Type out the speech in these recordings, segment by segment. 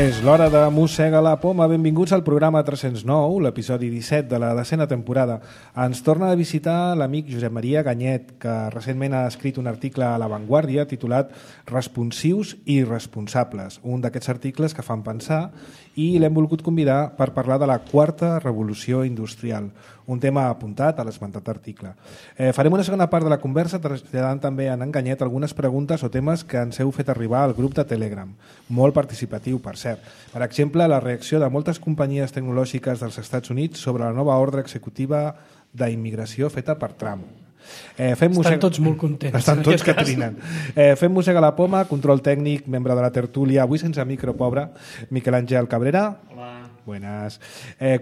És l'hora de Mossega la Poma. Benvinguts al programa 309, l'episodi 17 de la 10ª temporada. Ens torna a visitar l'amic Josep Maria Ganyet, que recentment ha escrit un article a La Vanguardia titulat Responsius i irresponsables, un d'aquests articles que fan pensar, i l'hem volgut convidar per parlar de la quarta revolució industrial, un tema apuntat a l'esmentat article. Farem una segona part de la conversa traslladant també a en Ganyet algunes preguntes o temes que ens heu fet arribar al grup de Telegram, molt participatiu, per cert. Per exemple, la reacció de moltes companyies tecnològiques dels Estats Units sobre la nova ordre executiva d'immigració feta per Trump. Estan tots molt contents. Estan tots que trinen. Fem Mossega la Poma, control tècnic, membre de la tertúlia, avui sense micro, pobre, Miquel Àngel Cabrera. Hola. Buenas.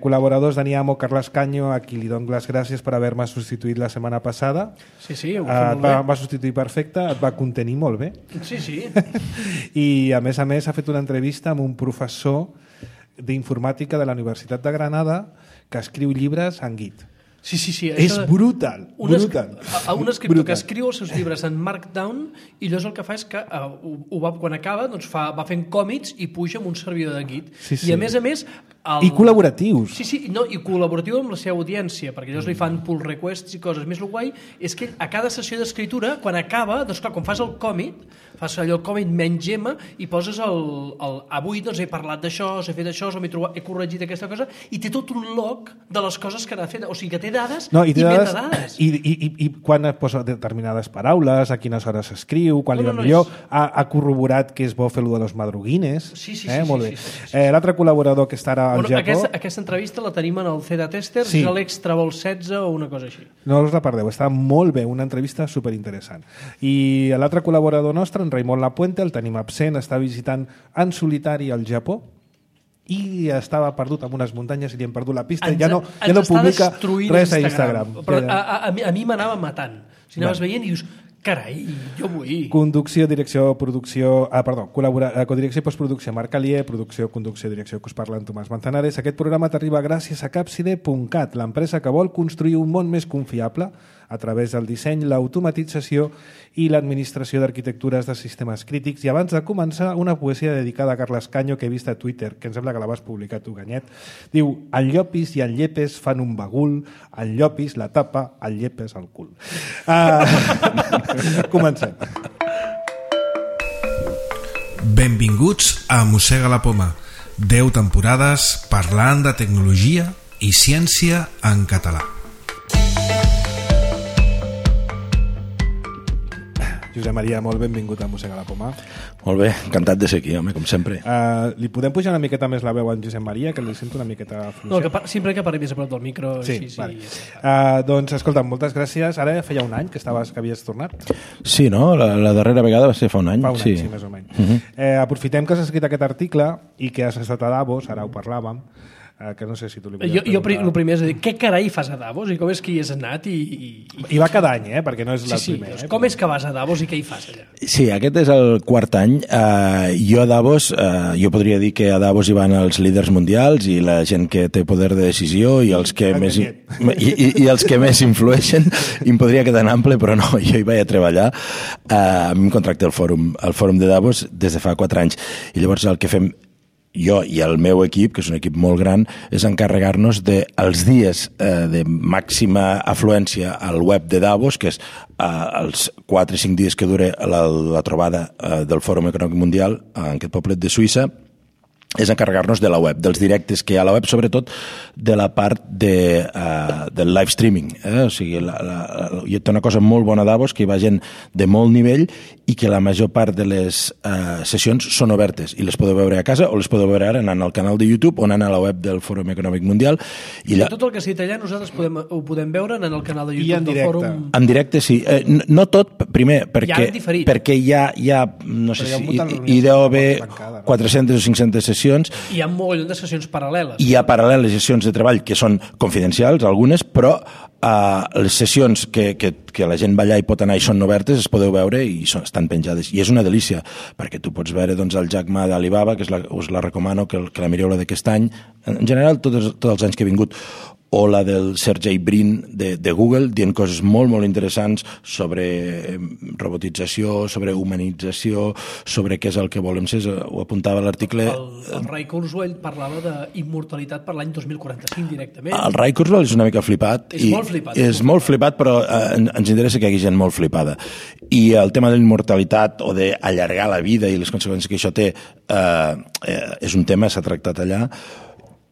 Col·laboradors Dani Amo, Carles Canyo, a qui li dono les gràcies per haver-me substituït la setmana passada. Sí, ho fa molt bé. Va substituir perfecte, et va contenir molt bé. Sí. I a més ha fet una entrevista amb un professor d'informàtica de la Universitat de Granada que escriu llibres en Git. Sí. És brutal. Un escriptor que escriu els seus llibres en Markdown i llavors el que fa és que quan acaba va fent còmits i puja amb un servidor de Git. Sí. I a més... I col·laboratius. Sí, i col·laboratiu amb la seva audiència, perquè llavors li fan pull requests i coses. Més el guai és que a cada sessió d'escriptura, quan acaba, doncs clar, quan fas el còmit, fas allò el còmit menys gema i poses avui he parlat d'això, he fet això, he corregit aquesta cosa, i té tot un log de les coses que n'ha fet. O sigui que té dades i metadades. I quan posa determinades paraules, a quines hores s'escriu, quan li va millor, ha corroborat que és bo fer-lo de los madruguines. Sí. Molt bé. L'altre col·laborador que està ara al Japó... Aquesta entrevista la tenim en el CEDA Tester, és l'Extra Vol 16 o una cosa així. No us la perdeu, està molt bé, una entrevista superinteressant. I l'altre col·laborador nostre, en Raimon Lapuente, el tenim absent, està visitant en solitari al Japó i estava perdut en unes muntanyes i li hem perdut la pista, ja no publica res a Instagram. Però a mi m'anava matant. Si anaves veient i dius, carai, jo vull. Conducció, direcció, producció... codirecció i postproducció, Marc Alier, producció, conducció, direcció, que us parla en Tomàs Manzanares. Aquest programa t'arriba gràcies a Capside.cat, l'empresa que vol construir un món més confiable a través del disseny, l'automatització i l'administració d'arquitectures de sistemes crítics. I abans de començar, una poesia dedicada a Carles Canyo que he vist a Twitter, que em sembla que la vas publicar tu, Ganyet. Diu, el Llopis i el Llepes fan un bagul, el Llopis la tapa, el Llepes al cul. Comencem. Benvinguts a Mossega la Poma. 10 temporades parlant de tecnologia i ciència en català. Josep Maria, molt benvingut a Mossega la Poma. Molt bé, encantat de ser aquí, home, com sempre. Li podem pujar una miqueta més la veu a en Josep Maria, que li sento una miqueta fluixa? No, sempre que parli més a prop del micro. Sí. Vale. Doncs, escolta, moltes gràcies. Ara feia un any que havies tornat. Sí, no? La darrera vegada va ser fa un any. Fa un any, sí, més o menys. Aprofitem que has escrit aquest article i que has estat a Davos, ara ho parlàvem, que no sé si tu li podies preguntar. Jo el primer és a dir, què carai fas a Davos i com és que hi has anat I va cada any, perquè no és el primer. Doncs com és que vas a Davos i què hi fas allà? Sí, aquest és el quart any. Jo a Davos, jo podria dir que a Davos hi van els líders mundials i la gent que té poder de decisió i els que més els que més influeixen, i em podria quedar en ample, però no, jo hi vaig a treballar. A mi em contracta el fòrum de Davos des de fa 4 anys, i llavors el que fem jo i el meu equip, que és un equip molt gran, és encarregar-nos dels dies de màxima afluència al web de Davos, que és els 4 o 5 dies que dura la trobada del Fòrum Econòmic Mundial en aquest poblet de Suïssa, és encarregar-nos de la web, dels directes que hi ha a la web, sobretot de la part del live streaming. O sigui, hi ha una cosa molt bona a Davos, que hi va gent de molt nivell i que la major part de les sessions són obertes i les podeu veure a casa o les podeu veure ara anant al canal de YouTube o anant a la web del Fòrum Econòmic Mundial. Tot el que s'ha dit allà nosaltres ho podem veure anant al canal de YouTube del Fòrum. En directe, sí. No tot, primer, perquè hi ha no sé si hi deu haver 400 o 500 sessions. Hi ha un mogollon de sessions paral·leles. Hi ha paral·leles sessions de treball que són confidencials, algunes, però les sessions que la gent va allà i pot anar i són obertes es podeu veure i estan penjades. I és una delícia, perquè tu pots veure el Jack Ma d'Alibaba, que us la recomano que la mireu la d'aquest any, en general tots els anys que he vingut, o la del Sergey Brin de Google, dient coses molt, molt interessants sobre robotització, sobre humanització, sobre què és el que volem ser. Ho apuntava l'article... El Ray Kurzweil parlava d'immortalitat per l'any 2045 directament. El Ray Kurzweil és una mica flipat. És molt flipat. És molt flipat, però ens interessa que hi hagi gent molt flipada. I el tema de la immortalitat o d'allargar la vida i les conseqüències que això té és un tema, s'ha tractat allà,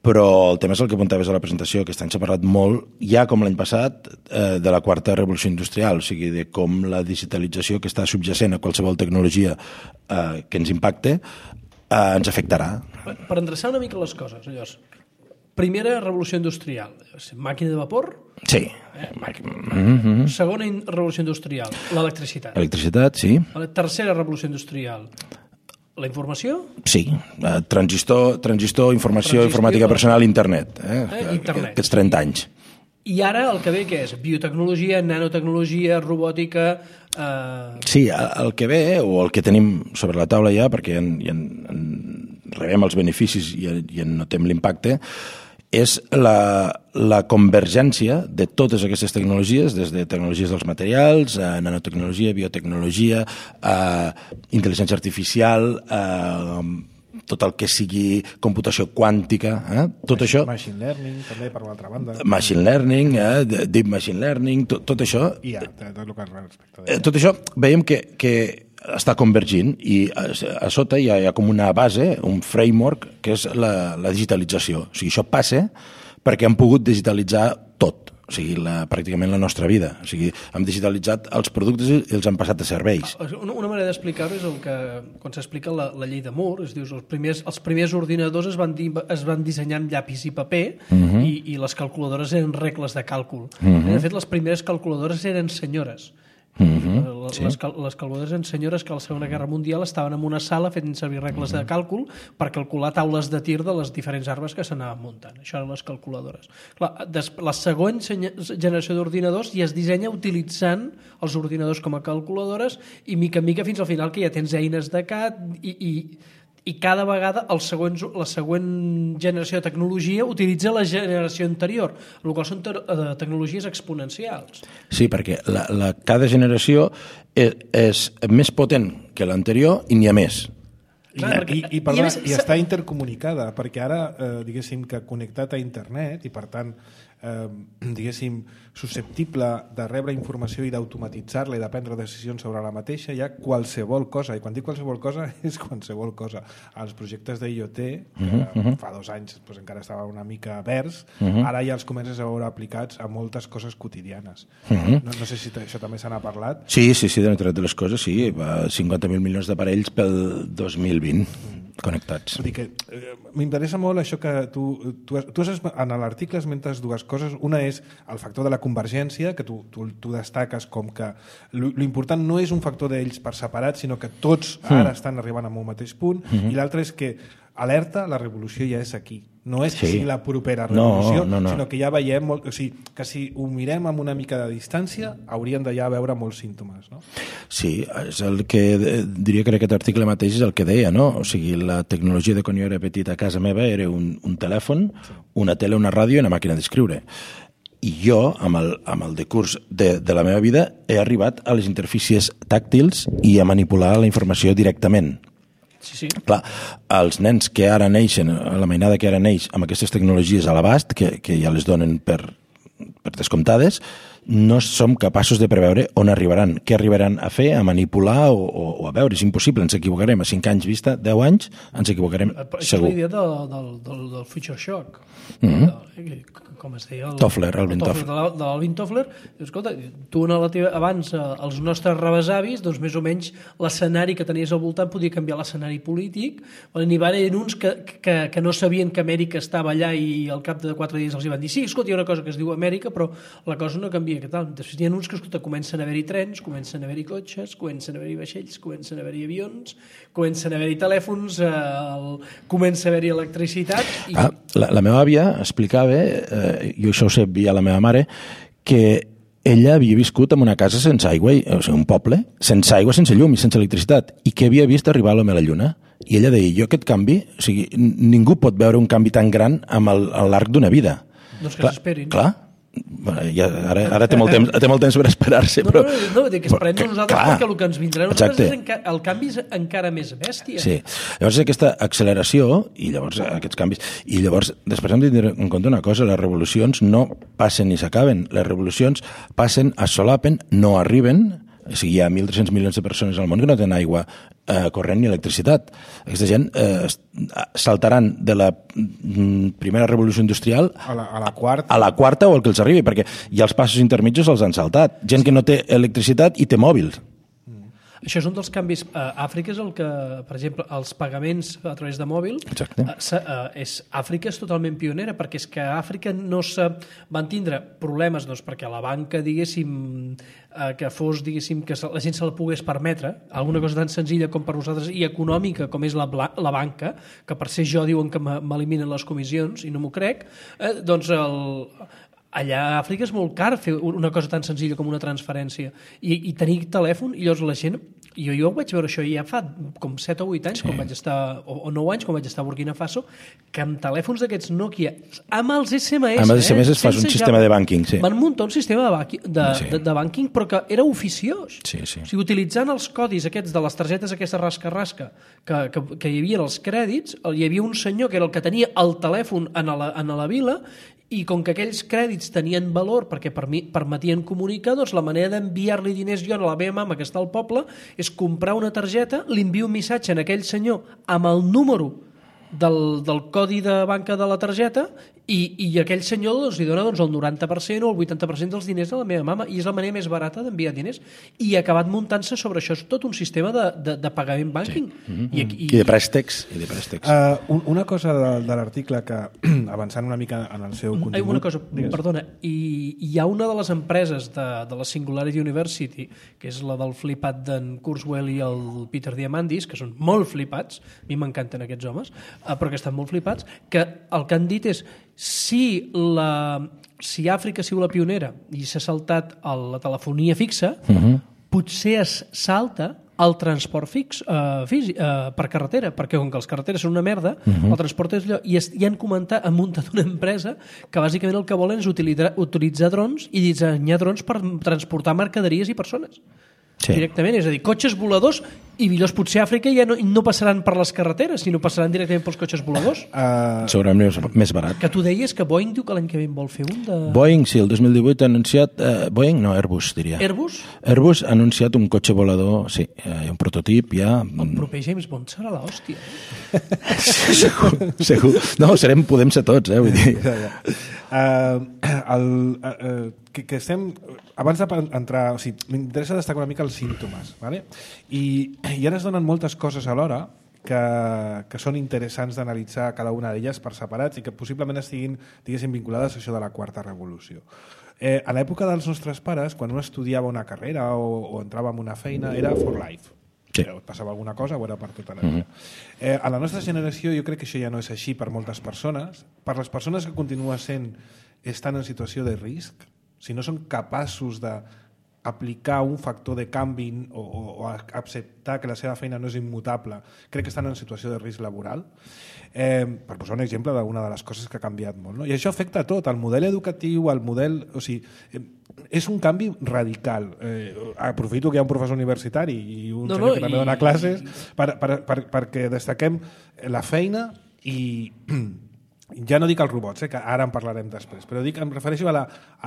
però el tema és el que apuntaves a la presentació. Aquest any s'ha parlat molt, ja com l'any passat, de la quarta revolució industrial, o sigui, de com la digitalització que està subjacent a qualsevol tecnologia que ens impacte ens afectarà. Per endreçar una mica les coses, llavors, primera revolució industrial, màquina de vapor? Sí. Segona revolució industrial, l'electricitat. Electricitat, sí. Tercera revolució industrial, la informació? Sí, transistor, informació, informàtica personal, internet. Internet. Aquests 30 anys. I ara el que ve què és? Biotecnologia, nanotecnologia, robòtica... Sí, el que ve, o el que tenim sobre la taula ja, perquè ja rebem els beneficis i en notem l'impacte, és la convergència de totes aquestes tecnologies, des de tecnologies dels materials, nanotecnologia, biotecnologia, intel·ligència artificial, tot el que sigui computació quàntica, tot això... Machine learning, també, per l'altra banda. Machine learning, deep machine learning, tot això... I tot el que respecte. Tot això veiem que està convergint i a sota hi ha com una base, un framework, que és la digitalització. O sigui, això passa perquè hem pogut digitalitzar tot, o sigui, pràcticament la nostra vida. O sigui, hem digitalitzat els productes i els hem passat a serveis. Una manera d'explicar-ho és el que, quan s'explica la llei de Moore, es diu, els primers ordinadors es van dissenyar amb llapis i paper i les calculadores eren regles de càlcul. De fet, les primeres calculadores eren senyores. Les calculadores eren senyores que a la Segona Guerra Mundial estaven en una sala fent servir regles de càlcul per calcular taules de tir de les diferents arbres que s'anaven muntant. Això eren les calculadores. Clar, la següent generació d'ordinadors ja es dissenya utilitzant els ordinadors com a calculadores i mica en mica fins al final que ja tens eines de CAD i cada vegada la següent generació de tecnologia utilitza la generació anterior, el qual són tecnologies exponencials. Sí, perquè cada generació és més potent que l'anterior i n'hi ha més. I està intercomunicada, perquè ara, diguéssim, que connectat a internet i, per tant, diguéssim, susceptible de rebre informació i d'automatitzar-la i de prendre decisions sobre la mateixa, hi ha qualsevol cosa, i quan dic qualsevol cosa és qualsevol cosa. Els projectes d'IoT, que fa 2 anys doncs, encara estava una mica verds, ara ja els comences a veure aplicats a moltes coses quotidianes. No sé si això també se n'ha parlat. Sí, de l'Internet de les coses, sí, 50.000 milions d'aparells pel 2020 connectats. Vull dir que m'interessa molt això que tu en l'article esmentes 2 coses. Una és el factor de la convergència, que tu destaques com que l'important no és un factor d'ells per separat, sinó que tots ara estan arribant a un mateix punt, i l'altre és que alerta, la revolució ja és aquí. No és que sigui la propera revolució, sinó que ja veiem molt, o sigui, que si ho mirem amb una mica de distància hauríem de ja veure molts símptomes, no? Sí, és el que diria que aquest article mateix és el que deia, no? O sigui, la tecnologia de quan jo era petit a casa meva era un telèfon, una tele, una ràdio i una màquina d'escriure. I jo, amb el decurs de la meva vida, he arribat a les interfícies tàctils i a manipular la informació directament. Sí. Clar, els nens que ara neixen, la mainada que ara neix amb aquestes tecnologies a l'abast, que ja les donen per descomptades, no som capaços de preveure on arribaran, què arribaran a fer, a manipular o a veure. És impossible, ens equivocarem. A 5 anys vista, 10 anys, ens equivocarem segur. Això és la idea del future shock. Com es deia? Toffler, Alvin Toffler. De l'Alvin Toffler. Escolta, tu abans, els nostres rebesavis, doncs més o menys l'escenari que tenies al voltant podia canviar l'escenari polític. N'hi va haver uns que no sabien que Amèrica estava allà i al cap de 4 dies els hi van dir sí, escolta, hi ha una cosa que es diu Amèrica, però la cosa no canvia. Que tal. Després hi ha uns que comencen a haver-hi trens, comencen a haver-hi cotxes, comencen a haver-hi vaixells, comencen a haver-hi avions, comencen a haver-hi telèfons, comença a haver-hi electricitat... La meva àvia explicava, jo això ho sé via la meva mare, que ella havia viscut en una casa sense aigua, o sigui, un poble, sense aigua, sense llum i sense electricitat, i que havia vist arribar l'home a la lluna. I ella deia, jo aquest canvi, o sigui, ningú pot veure un canvi tan gran amb l'arc d'una vida. Doncs que s'esperin. Clar. Ja, ara té molt temps per esperar-se. No, que esperem nosaltres perquè el que ens vindrà a nosaltres el canvi és encara més bèstia. Sí, llavors aquesta acceleració i llavors aquests canvis, i llavors després hem de tenir en compte una cosa, les revolucions no passen ni s'acaben, les revolucions passen, es solapen, no arriben. O sigui, hi ha 1.300 milions de persones al món que no tenen aigua corrent ni electricitat. Aquesta gent saltaran de la primera revolució industrial a la quarta. A la quarta o el que els arribi, perquè ja els passos intermitjos els han saltat. Gent que no té electricitat i té mòbils. Això és un dels canvis. Àfrica és el que, per exemple, els pagaments a través de mòbil, Àfrica és totalment pionera, perquè és que a Àfrica no se van tindre problemes, doncs, perquè la banca, diguéssim, que fos, diguéssim, que la gent se la pogués permetre, alguna cosa tan senzilla com per nosaltres i econòmica com és la banca, que per ser jo diuen que m'eliminen les comissions i no m'ho crec, doncs allà a Àfrica és molt car fer una cosa tan senzilla com una transferència i tenir telèfon, i llavors la gent jo vaig veure això ja fa com 7 o 8 anys, quan vaig estar, o 9 anys quan vaig estar a Burkina Faso, que amb telèfons d'aquests Nokia, amb els SMS amb els SMS es fa un sistema de banking, sí. Van muntar un sistema de banking, però que era oficiós. Sí. O sigui, utilitzant els codis aquests de les targetes aquesta rasca-rasca que hi havia els crèdits, hi havia un senyor que era el que tenia el telèfon a la vila, i com que aquells crèdits tenien valor perquè permetien comunicar, doncs la manera d'enviar-li diners jo a la meva mama que està al poble és comprar una targeta, li envio un missatge a aquell senyor amb el número del codi de banca de la targeta i aquell senyor li dona el 90% o el 80% dels diners a la meva mama, i és la manera més barata d'enviar diners, i ha acabat muntant-se sobre això tot un sistema de pagament banking. I de préstecs. Una cosa de l'article que, avançant una mica en el seu contingut... Una cosa, perdona, hi ha una de les empreses de la Singularity University, que és la del flipat d'en Kurzweil i el Peter Diamandis, que són molt flipats, a mi m'encanten aquests homes, però que estan molt flipats, que el que han dit és si Àfrica ha sigut la pionera i s'ha saltat la telefonia fixa, potser es salta el transport fix per carretera, perquè com que les carreteres són una merda, el transport és allò, i han muntat una empresa que bàsicament el que volen és utilitzar drons i dissenyar drons per transportar mercaderies i persones. Directament, és a dir, cotxes voladors, i millors potser a Àfrica ja no passaran per les carreteres, sinó passaran directament pels cotxes voladors. Segurament més barat. Que tu deies que Boeing diu que l'any que ve en vol fer un de... Boeing, sí, el 2018 ha anunciat... Boeing, no, Airbus, diria. Airbus? Airbus ha anunciat un cotxe volador, sí, un prototip ja... El proper James Bond serà l'hòstia. Segur. No, podem ser tots, vull dir... que estem... Abans d'entrar... O sigui, m'interessa destacar una mica els símptomes, ¿vale? I ara es donen moltes coses alhora que són interessants d'analitzar cada una d'elles per separats i que possiblement estiguin, diguéssim, vinculades a això de la quarta revolució. A l'època dels nostres pares, quan un estudiava una carrera o entrava en una feina, era for life. Sí. Et passava alguna cosa o era per tota la vida. A la nostra generació jo crec que això ja no és així per moltes persones. Per les persones que continuen estan en situació de risc, si no són capaços d'aplicar un factor de canvi o acceptar que la seva feina no és immutable, crec que estan en situació de risc laboral. Per posar un exemple d'una de les coses que ha canviat molt, no? I això afecta a tot, el model educatiu, el model... O sigui, és un canvi radical. Aprofito que hi ha un professor universitari i un senyor que també dona classes perquè destaquem la feina i... Ja no dic els robots, que ara en parlarem després, però em refereixo a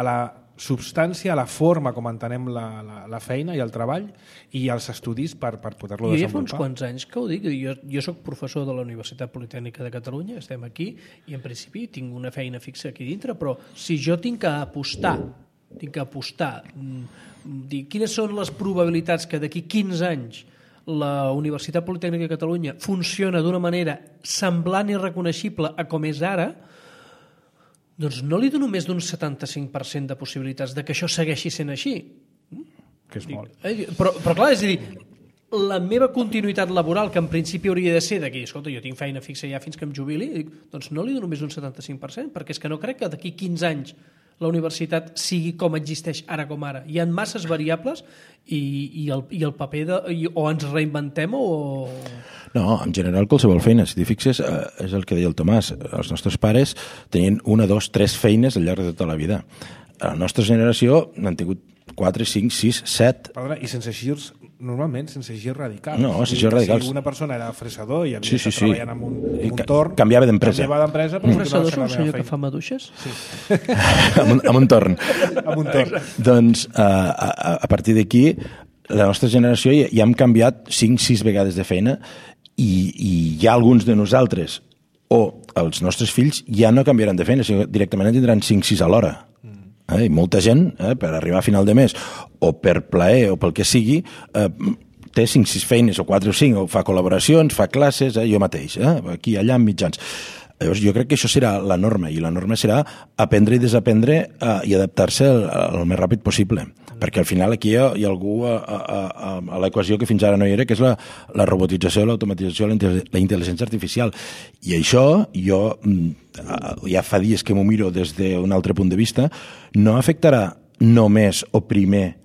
la substància, a la forma com entenem la feina i el treball i els estudis per poder-lo desenvolupar. Jo ja fa uns quants anys que ho dic. Jo soc professor de la Universitat Politècnica de Catalunya, estem aquí, i en principi tinc una feina fixa aquí dintre, però si jo tinc que apostar, dir quines són les probabilitats que d'aquí 15 anys la Universitat Politècnica de Catalunya funciona d'una manera semblant i reconeixible a com és ara, doncs no li dono més d'un 75% de possibilitats de que això segueixi sent així. Que és molt. Però clar, és a dir, la meva continuïtat laboral, que en principi hauria de ser d'aquí, escolta, jo tinc feina fixa ja fins que em jubili, doncs no li dono més d'un 75%, perquè és que no crec que d'aquí 15 anys la universitat sigui com existeix ara com ara. Hi ha masses variables i el paper o ens reinventem o... No, en general qualsevol feina. Si t'hi fixes, és el que deia el Tomàs. Els nostres pares tenien 1, 2, 3 feines al llarg de tota la vida. A la nostra generació n'han tingut 4, 5, 6, 7... Perdona, i sense girs, normalment sense girs radicals. No, sense girs radicals. Si una persona era fresador i havia estat treballant en un torn... Canviava d'empresa. Un fresador és un senyor que fa maduixes? Sí. amb un torn. Amb un torn. Doncs, a partir d'aquí, la nostra generació ja hem canviat 5-6 vegades de feina i hi ha alguns de nosaltres o els nostres fills ja no canviaran de feina, sinó directament en tindran 5-6 a l'hora. I molta gent, per arribar a final de mes o per plaer o pel que sigui, té 5-6 feines o 4 o 5, o fa col·laboracions, fa classes, jo mateix, aquí, allà, en mitjans. Llavors, jo crec que això serà la norma, i la norma serà aprendre i desaprendre i adaptar-se el més ràpid possible, perquè al final aquí hi ha algú a l'equació que fins ara no hi era, que és la robotització, l'automatització, la intel·ligència artificial. I això, jo ja fa dies que m'ho miro des d'un altre punt de vista, no afectarà només o primer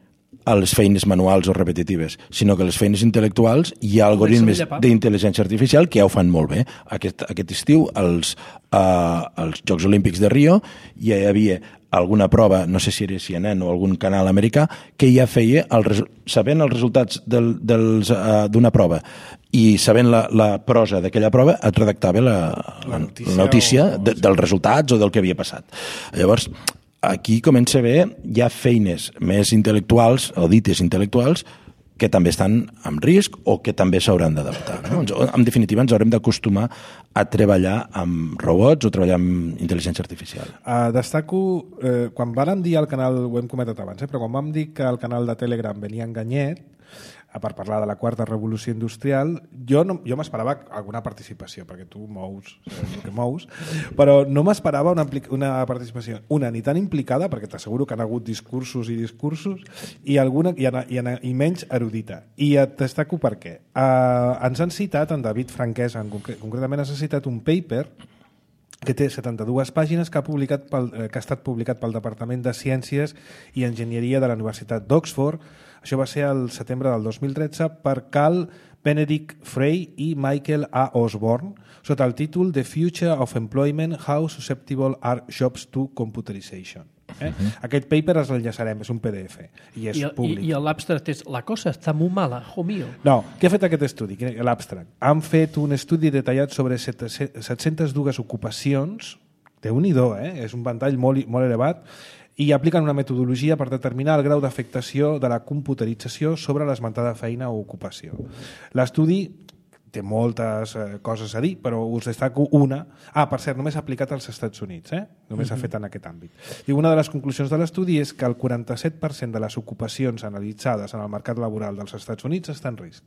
a les feines manuals o repetitives, sinó que les feines intel·lectuals hi ha algoritmes d'intel·ligència artificial que ja ho fan molt bé. Aquest estiu, als Jocs Olímpics de Rio, ja hi havia alguna prova, no sé si era CNN o algun canal americà, que ja feia, sabent els resultats d'una prova i sabent la prosa d'aquella prova, et redactava la notícia dels resultats o del que havia passat. Llavors, aquí comença a haver ja feines més intel·lectuals o dites intel·lectuals que també estan en risc o que també s'hauran d'adaptar. No? En definitiva, ens haurem d'acostumar a treballar amb robots o treballar amb intel·ligència artificial. Destaco, quan vàrem dir al canal, ho hem comentat abans, però quan vam dir que al canal de Telegram venia Enganyet, per parlar de la quarta revolució industrial, jo m'esperava alguna participació, perquè tu mous el que mous, però no m'esperava una participació, ni tan implicada, perquè t'asseguro que han hagut discursos i menys erudita. I et destaco per què. Ens han citat, en David Franquès, concretament ens ha citat un paper que té 72 pàgines que ha estat publicat pel Departament de Ciències i Enginyeria de la Universitat d'Oxford. Això va ser el setembre del 2013 per Carl Benedict Frey i Michael A. Osborne sota el títol The Future of Employment, How Susceptible Are Jobs to Computerization. Aquest paper els enllaçarem, és un PDF i és públic. I l'abstract és la cosa està molt mala, jo mío. No, què ha fet aquest estudi? L'abstract. Han fet un estudi detallat sobre 702 ocupacions, Déu-n'hi-do, és un ventall molt elevat, i apliquen una metodologia per determinar el grau d'afectació de la computerització sobre l'esmentada feina o ocupació. L'estudi té moltes coses a dir, però us destaco una. Per cert, només aplicat als Estats Units, només s'ha fet en aquest àmbit. Una de les conclusions de l'estudi és que el 47% de les ocupacions analitzades en el mercat laboral dels Estats Units està en risc,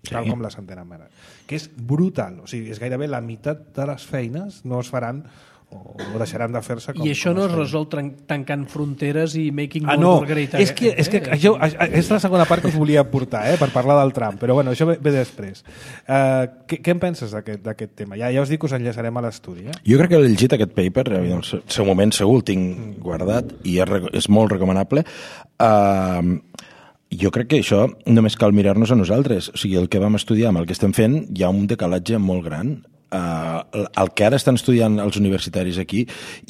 tal com les entenem ara. Que és brutal, o sigui, és gairebé la meitat de les feines no es faran o deixaran de fer-se com... I això no es resol tancant fronteres i making no, world great. És que això és la segona part que us volia portar, per parlar del Trump, però bueno, això ve després. Què en penses d'aquest tema? Ja us dic que us enllaçarem a l'estudi. Jo crec que he llegit aquest paper, en el seu moment segur el tinc guardat i és molt recomanable. Jo crec que això només cal mirar-nos a nosaltres. O sigui, el que vam estudiar amb el que estem fent hi ha un decalatge molt gran. El que ara estan estudiant els universitaris aquí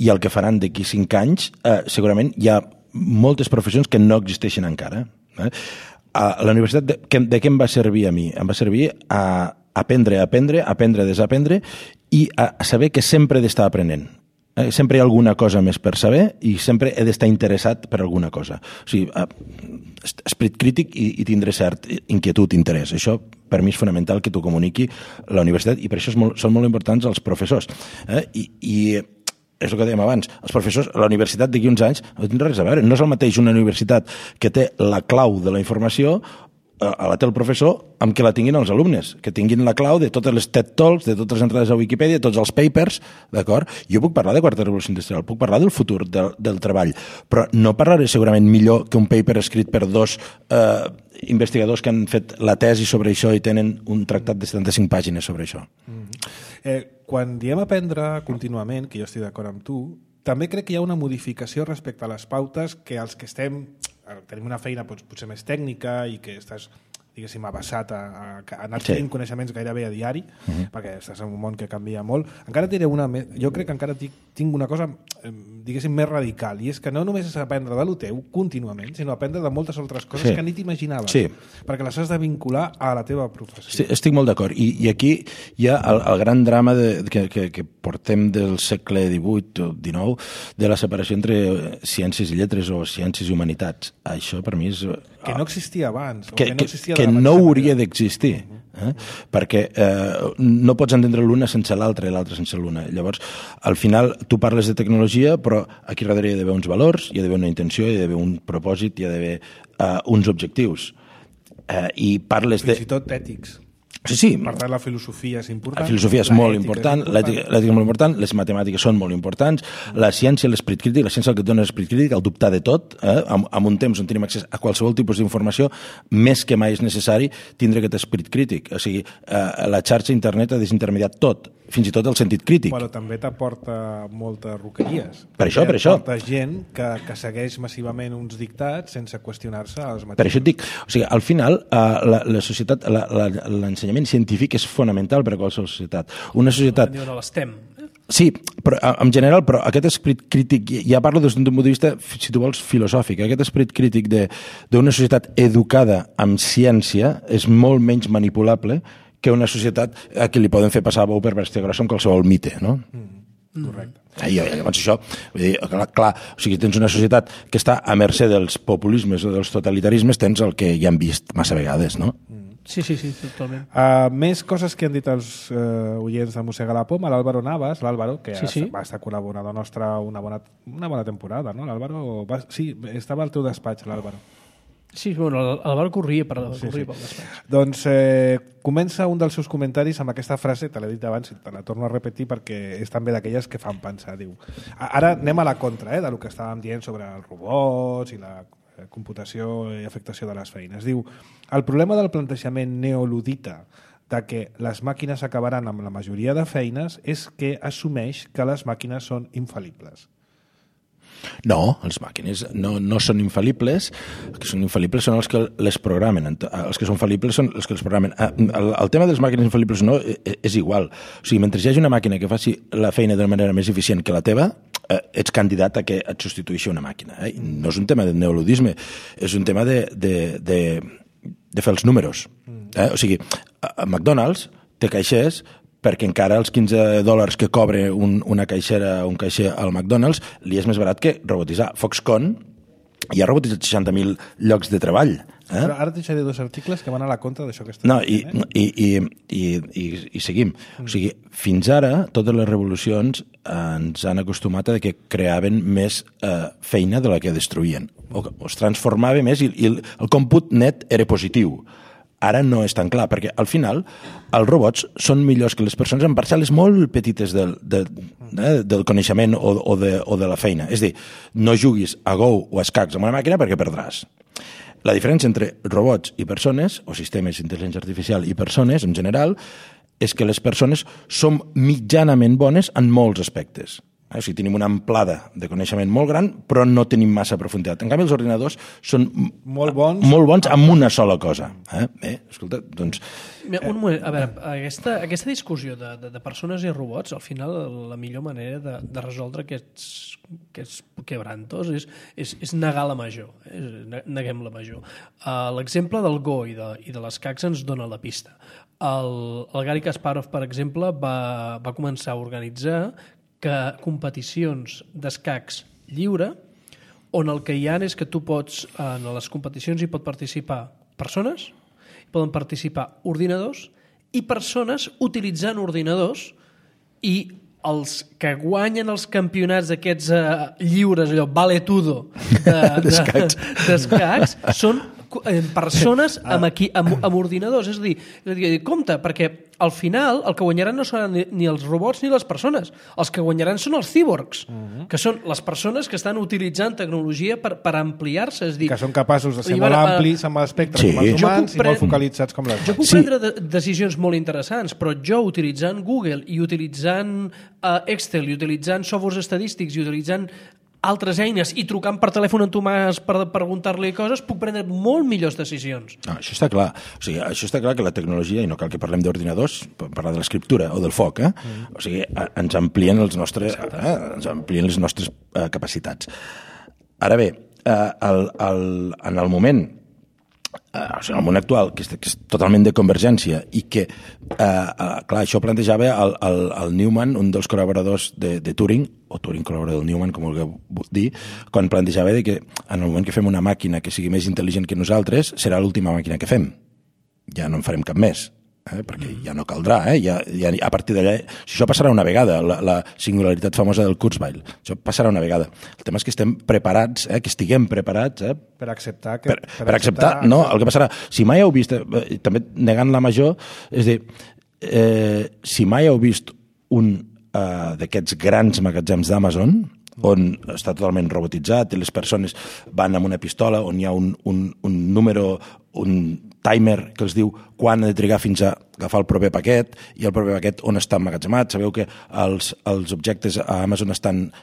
i el que faran d'aquí 5 anys, segurament hi ha moltes professions que no existeixen encara. La universitat, de què em va servir a mi? Em va servir a aprendre, desaprendre i a saber que sempre he d'estar aprenent. Sempre hi ha alguna cosa més per saber i sempre he d'estar interessat per alguna cosa. O sigui, esperit crític i tindre cert inquietud, interès. Això, per mi, és fonamental que t'ho comuniqui la universitat i per això són molt importants els professors. I és el que dèiem abans, els professors, la universitat d'aquí uns anys no tindrà res a veure. No és el mateix una universitat que té la clau de la informació la té el professor amb què la tinguin els alumnes, que tinguin la clau de totes les TED Talks, de totes les entrades a Wikipedia, tots els papers, d'acord? Jo puc parlar de quarta revolució industrial, puc parlar del futur del treball, però no parlaré segurament millor que un paper escrit per 2 investigadors que han fet la tesi sobre això i tenen un tractat de 75 pàgines sobre això. Quan diem aprendre contínuament, que jo estic d'acord amb tu, també crec que hi ha una modificació respecte a les pautes que els que tenim una feina potser més tècnica i que estàs diguéssim, abassat a anar tenint coneixements gairebé a diari, perquè estàs en un món que canvia molt. Encara diré jo crec que encara tinc una cosa, diguéssim, més radical, i és que no només és aprendre de lo teu contínuament, sinó aprendre de moltes altres coses que ni t'imaginaves, perquè les has de vincular a la teva professió. Sí, estic molt d'acord. I aquí hi ha el gran drama que portem del segle XVIII o XIX, de la separació entre ciències i lletres o ciències i humanitats. Això per mi és... Que no existia abans. Que no hauria d'existir. Perquè no pots entendre l'una sense l'altra i l'altra sense l'una. Llavors, al final, tu parles de tecnologia, però aquí darrere hi ha d'haver uns valors, hi ha d'haver una intenció, hi ha d'haver un propòsit, hi ha d'haver uns objectius. I parles de... Fins i tot ètics. Sí. Per tant, la filosofia és important. La filosofia és molt important, l'ètica és molt important, les matemàtiques són molt importants, la ciència, l'esperit crític, la ciència el que et dona l'esperit crític, el dubtar de tot, en un temps on tenim accés a qualsevol tipus d'informació, més que mai és necessari tindre aquest esperit crític. O sigui, la xarxa internet ha desintermediat tot, fins i tot el sentit crític. Però també t'aporta moltes roqueries. Per això. T'aporta gent que segueix massivament uns dictats sense qüestionar-se els mateixos. Per això et dic, o sigui, al final, la societat, l'ensenyament científic és fonamental per a qualsevol societat. Una societat... l'STEM. Sí, però en general, però aquest esperit crític, ja parlo des d'un punt de vista, si tu vols, filosòfic, aquest esperit crític d'una societat educada amb ciència és molt menys manipulable que una societat a qui li poden fer passar bou per bèstia grossa amb qualsevol mite, no? Correcte. Llavors això, vull dir, clar, o sigui, tens una societat que està a mercè dels populismes o dels totalitarismes, tens el que ja hem vist massa vegades, no? Sí, totalment. Més coses que han dit els oients de Mossega la Poma, l'Àlvaro Navas, que va estar col·laborador nostre una bona temporada, no? L'Àlvaro, sí, estava al teu despatx, l'Àlvaro. Sí, bueno, l'Àlvaro corria pel despatx. Doncs comença un dels seus comentaris amb aquesta frase, te l'he dit abans i te la torno a repetir perquè és també d'aquelles que fan pensar. Diu, ara anem a la contra del que estàvem dient sobre els robots i la computació i afectació de les feines. Diu, el problema del plantejament neoludita de que les màquines acabaran amb la majoria de feines és que assumeix que les màquines són infal·libles. No, les màquines no són infal·libles. Els que són infal·libles són els que les programen. Els que són fal·libles són els que les programen. El tema de les màquines infal·libles no és igual. O sigui, mentre hi hagi una màquina que faci la feina d'una manera més eficient que la teva, ets candidat a que et substitueixi una màquina. No és un tema de neoludisme, és un tema de fer els números. O sigui, a McDonald's té caixers perquè encara els $15 que cobra una caixera o un caixer al McDonald's li és més barat que robotitzar. Foxconn ja ha robotitzat 60.000 llocs de treball. Però ara et deixaré 2 articles que van a la contra d'això que estàs dient. I seguim. O sigui, fins ara, totes les revolucions ens han acostumat a que creaven més feina de la que destruïen. O es transformava més i el còmput net era positiu. Ara no és tan clar, perquè al final els robots són millors que les persones en parcel·les molt petites del coneixement o de la feina. És a dir, no juguis a Go o a escacs amb una màquina perquè perdràs. La diferència entre robots i persones, o sistemes d'intel·ligència artificial i persones en general, és que les persones són mitjanament bones en molts aspectes. O sigui, tenim una amplada de coneixement molt gran, però no tenim massa profunditat. En canvi, els ordinadors són molt bons amb una sola cosa. Escolta, doncs... Un moment, a veure, aquesta discussió de persones i robots, al final la millor manera de resoldre aquests quebrantos és negar la major. Neguem la major. L'exemple del Go i de les escacs ens dona la pista. El Garry Kasparov, per exemple, va començar a organitzar competicions d'escacs lliure on el que hi ha és que tu pots, en les competicions hi pot participar persones, hi poden participar ordinadors i persones utilitzant ordinadors, i els que guanyen els campionats d'aquests lliures, allò vale tudo d'escacs, són persones amb ordinadors. És a dir, compte, perquè al final el que guanyaran no seran ni els robots ni les persones. Els que guanyaran són els cyborgs, que són les persones que estan utilitzant tecnologia per ampliar-se. És dir, que són capaços de ser molt amplis amb l'espectre com els humans i molt focalitzats com les jo puc prendre decisions molt interessants, però jo utilitzant Google i utilitzant Excel i utilitzant softwares estadístics i utilitzant altres eines i trucant per telèfon en Tomàs per preguntar-li coses, puc prendre molt millors decisions. No, això està clar. O sigui, això està clar que la tecnologia, i no cal que parlem d'ordinadors, parlar de l'escriptura o del foc, o sigui, ens amplien les nostres capacitats. Ara bé, en el moment en el món actual, que és totalment de convergència i que, clar, això plantejava el Newman, un dels col·laboradors de Turing, o Turing col·laborador del Newman, com vulgueu dir, quan plantejava que en el moment que fem una màquina que sigui més intel·ligent que nosaltres, serà l'última màquina que fem. Ja no en farem cap més. Perquè ja no caldrà, ja a partir d'allà, si això passarà una vegada, la singularitat famosa del Kurzweil, això passarà una vegada. El tema és que estem preparats, que estiguem preparats per acceptar per acceptar, no, el que passarà, si mai heu vist, també negant la major, és a dir, si mai heu vist un d'aquests grans magatzems d'Amazon, on està totalment robotitzat i les persones van amb una pistola, on hi ha un número, un timer que els diu quan ha de trigar fins a agafar el proper paquet i el proper paquet on està emmagatzemat. Sabeu que els objectes a Amazon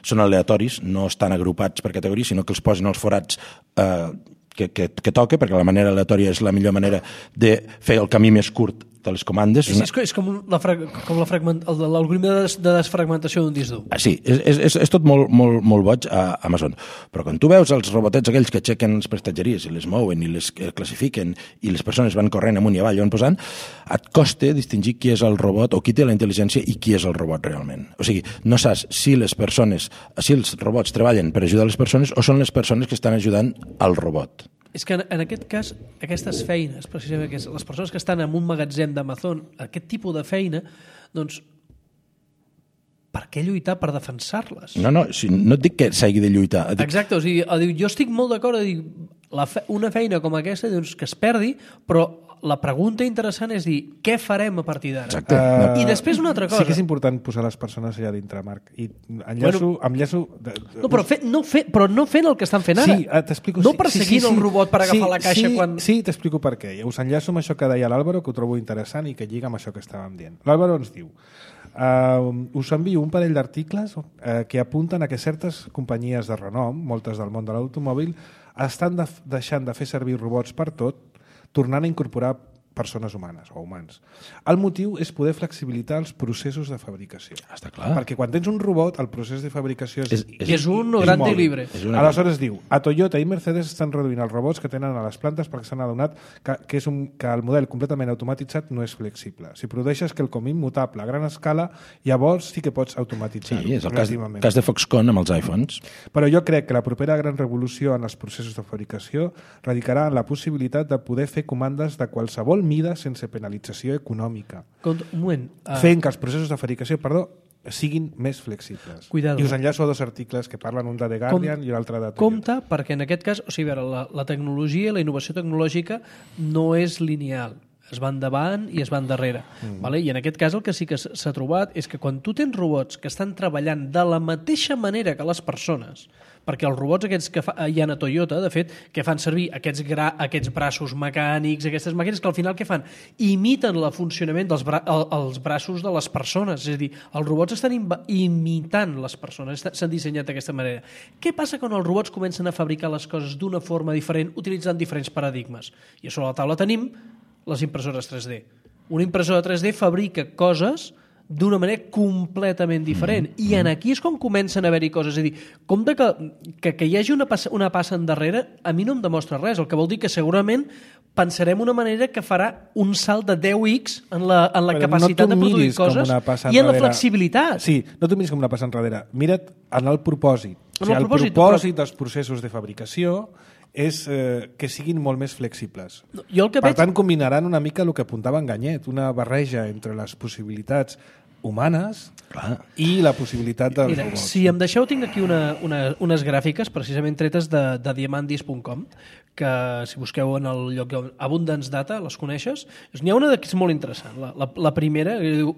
són aleatoris, no estan agrupats per categoria, sinó que els posen als forats que toca, perquè la manera aleatòria és la millor manera de fer el camí més curt de les comandes. Sí, és com l'algoritme de desfragmentació d'un disc dur. Sí, és tot molt boig a Amazon. Però quan tu veus els robotets aquells que aixequen les prestatgeries i les mouen i les classifiquen i les persones van corrent amunt i avall i van posant, et costa distingir qui és el robot o qui té la intel·ligència i qui és el robot realment. O sigui, no saps si els robots treballen per ajudar les persones o són les persones que estan ajudant al robot. És que en aquest cas, aquestes feines, precisament les persones que estan en un magatzem d'Amazon, aquest tipus de feina, doncs, per què lluitar per defensar-les? No et dic que s'hagi de lluitar. Exacte, o sigui, jo estic molt d'acord a dir, una feina com aquesta doncs, que es perdi, però la pregunta interessant és dir, què farem a partir d'ara? Exacte. I després una altra cosa. Sí que és important posar les persones allà dintre, Marc. I enllaço... No, però no fent el que estan fent ara. Sí, t'explico. No perseguint el robot per agafar la caixa quan... Sí, t'explico per què. Us enllaço amb això que deia l'Àlvaro, que ho trobo interessant i que lliga amb això que estàvem dient. L'Àlvaro ens diu: us envio un parell d'articles que apunten a que certes companyies de renom, moltes del món de l'automòbil, estan deixant de fer servir robots per tot, tornant a incorporar persones humanes o humans. El motiu és poder flexibilitzar els processos de fabricació. Està clar. Perquè quan tens un robot, el procés de fabricació és un grande i libre. Aleshores diu, a Toyota i Mercedes estan reduint els robots que tenen a les plantes perquè s'han adonat que el model completament automatitzat no és flexible. Si produeixes quelcom immutable a gran escala, llavors sí que pots automatitzar-ho. Sí, és el cas de Foxconn amb els iPhones. Però jo crec que la propera gran revolució en els processos de fabricació radicarà en la possibilitat de poder fer comandes de qualsevol mida sense penalització econòmica. Un moment. Fent que els processos de fabricació, siguin més flexibles. Cuidado. I us enllaço a dos articles que parlen, un de The Guardian i l'altre de Toyota. Compte, perquè en aquest cas, o sigui, la tecnologia, la innovació tecnològica no és lineal. Es va endavant i es va endarrere. Vale? I en aquest cas el que sí que s'ha trobat és que quan tu tens robots que estan treballant de la mateixa manera que les persones, perquè els robots aquests que hi ha a Toyota, de fet, que fan servir aquests braços mecànics, aquestes màquines que al final què fan? Imiten el funcionament dels braços de les persones. És a dir, els robots estan imitant les persones, s'han dissenyat d'aquesta manera. Què passa quan els robots comencen a fabricar les coses d'una forma diferent, utilitzant diferents paradigmes? I a sobre la taula tenim les impressores 3D. Una impressora 3D fabrica coses d'una manera completament diferent. I en aquí és com comencen a haver-hi coses. És a dir, com que hi hagi una passa endarrere, a mi no em demostra res. El que vol dir que segurament pensarem una manera que farà un salt de 10x en la capacitat de produir coses i en la flexibilitat. Sí, no t'ho miris com una passa enrere. Mira't en el propòsit. El propòsit dels processos de fabricació és que siguin molt més flexibles. Per tant, combinaran una mica el que apuntava en Ganyet, una barreja entre les possibilitats humanes i la possibilitat dels Mira, robots. si em deixeu, tinc aquí unes gràfiques precisament tretes de diamandis.com, que si busqueu en el lloc Abundance Data, les coneixes? N'hi ha una que és molt interessant. La primera, que diu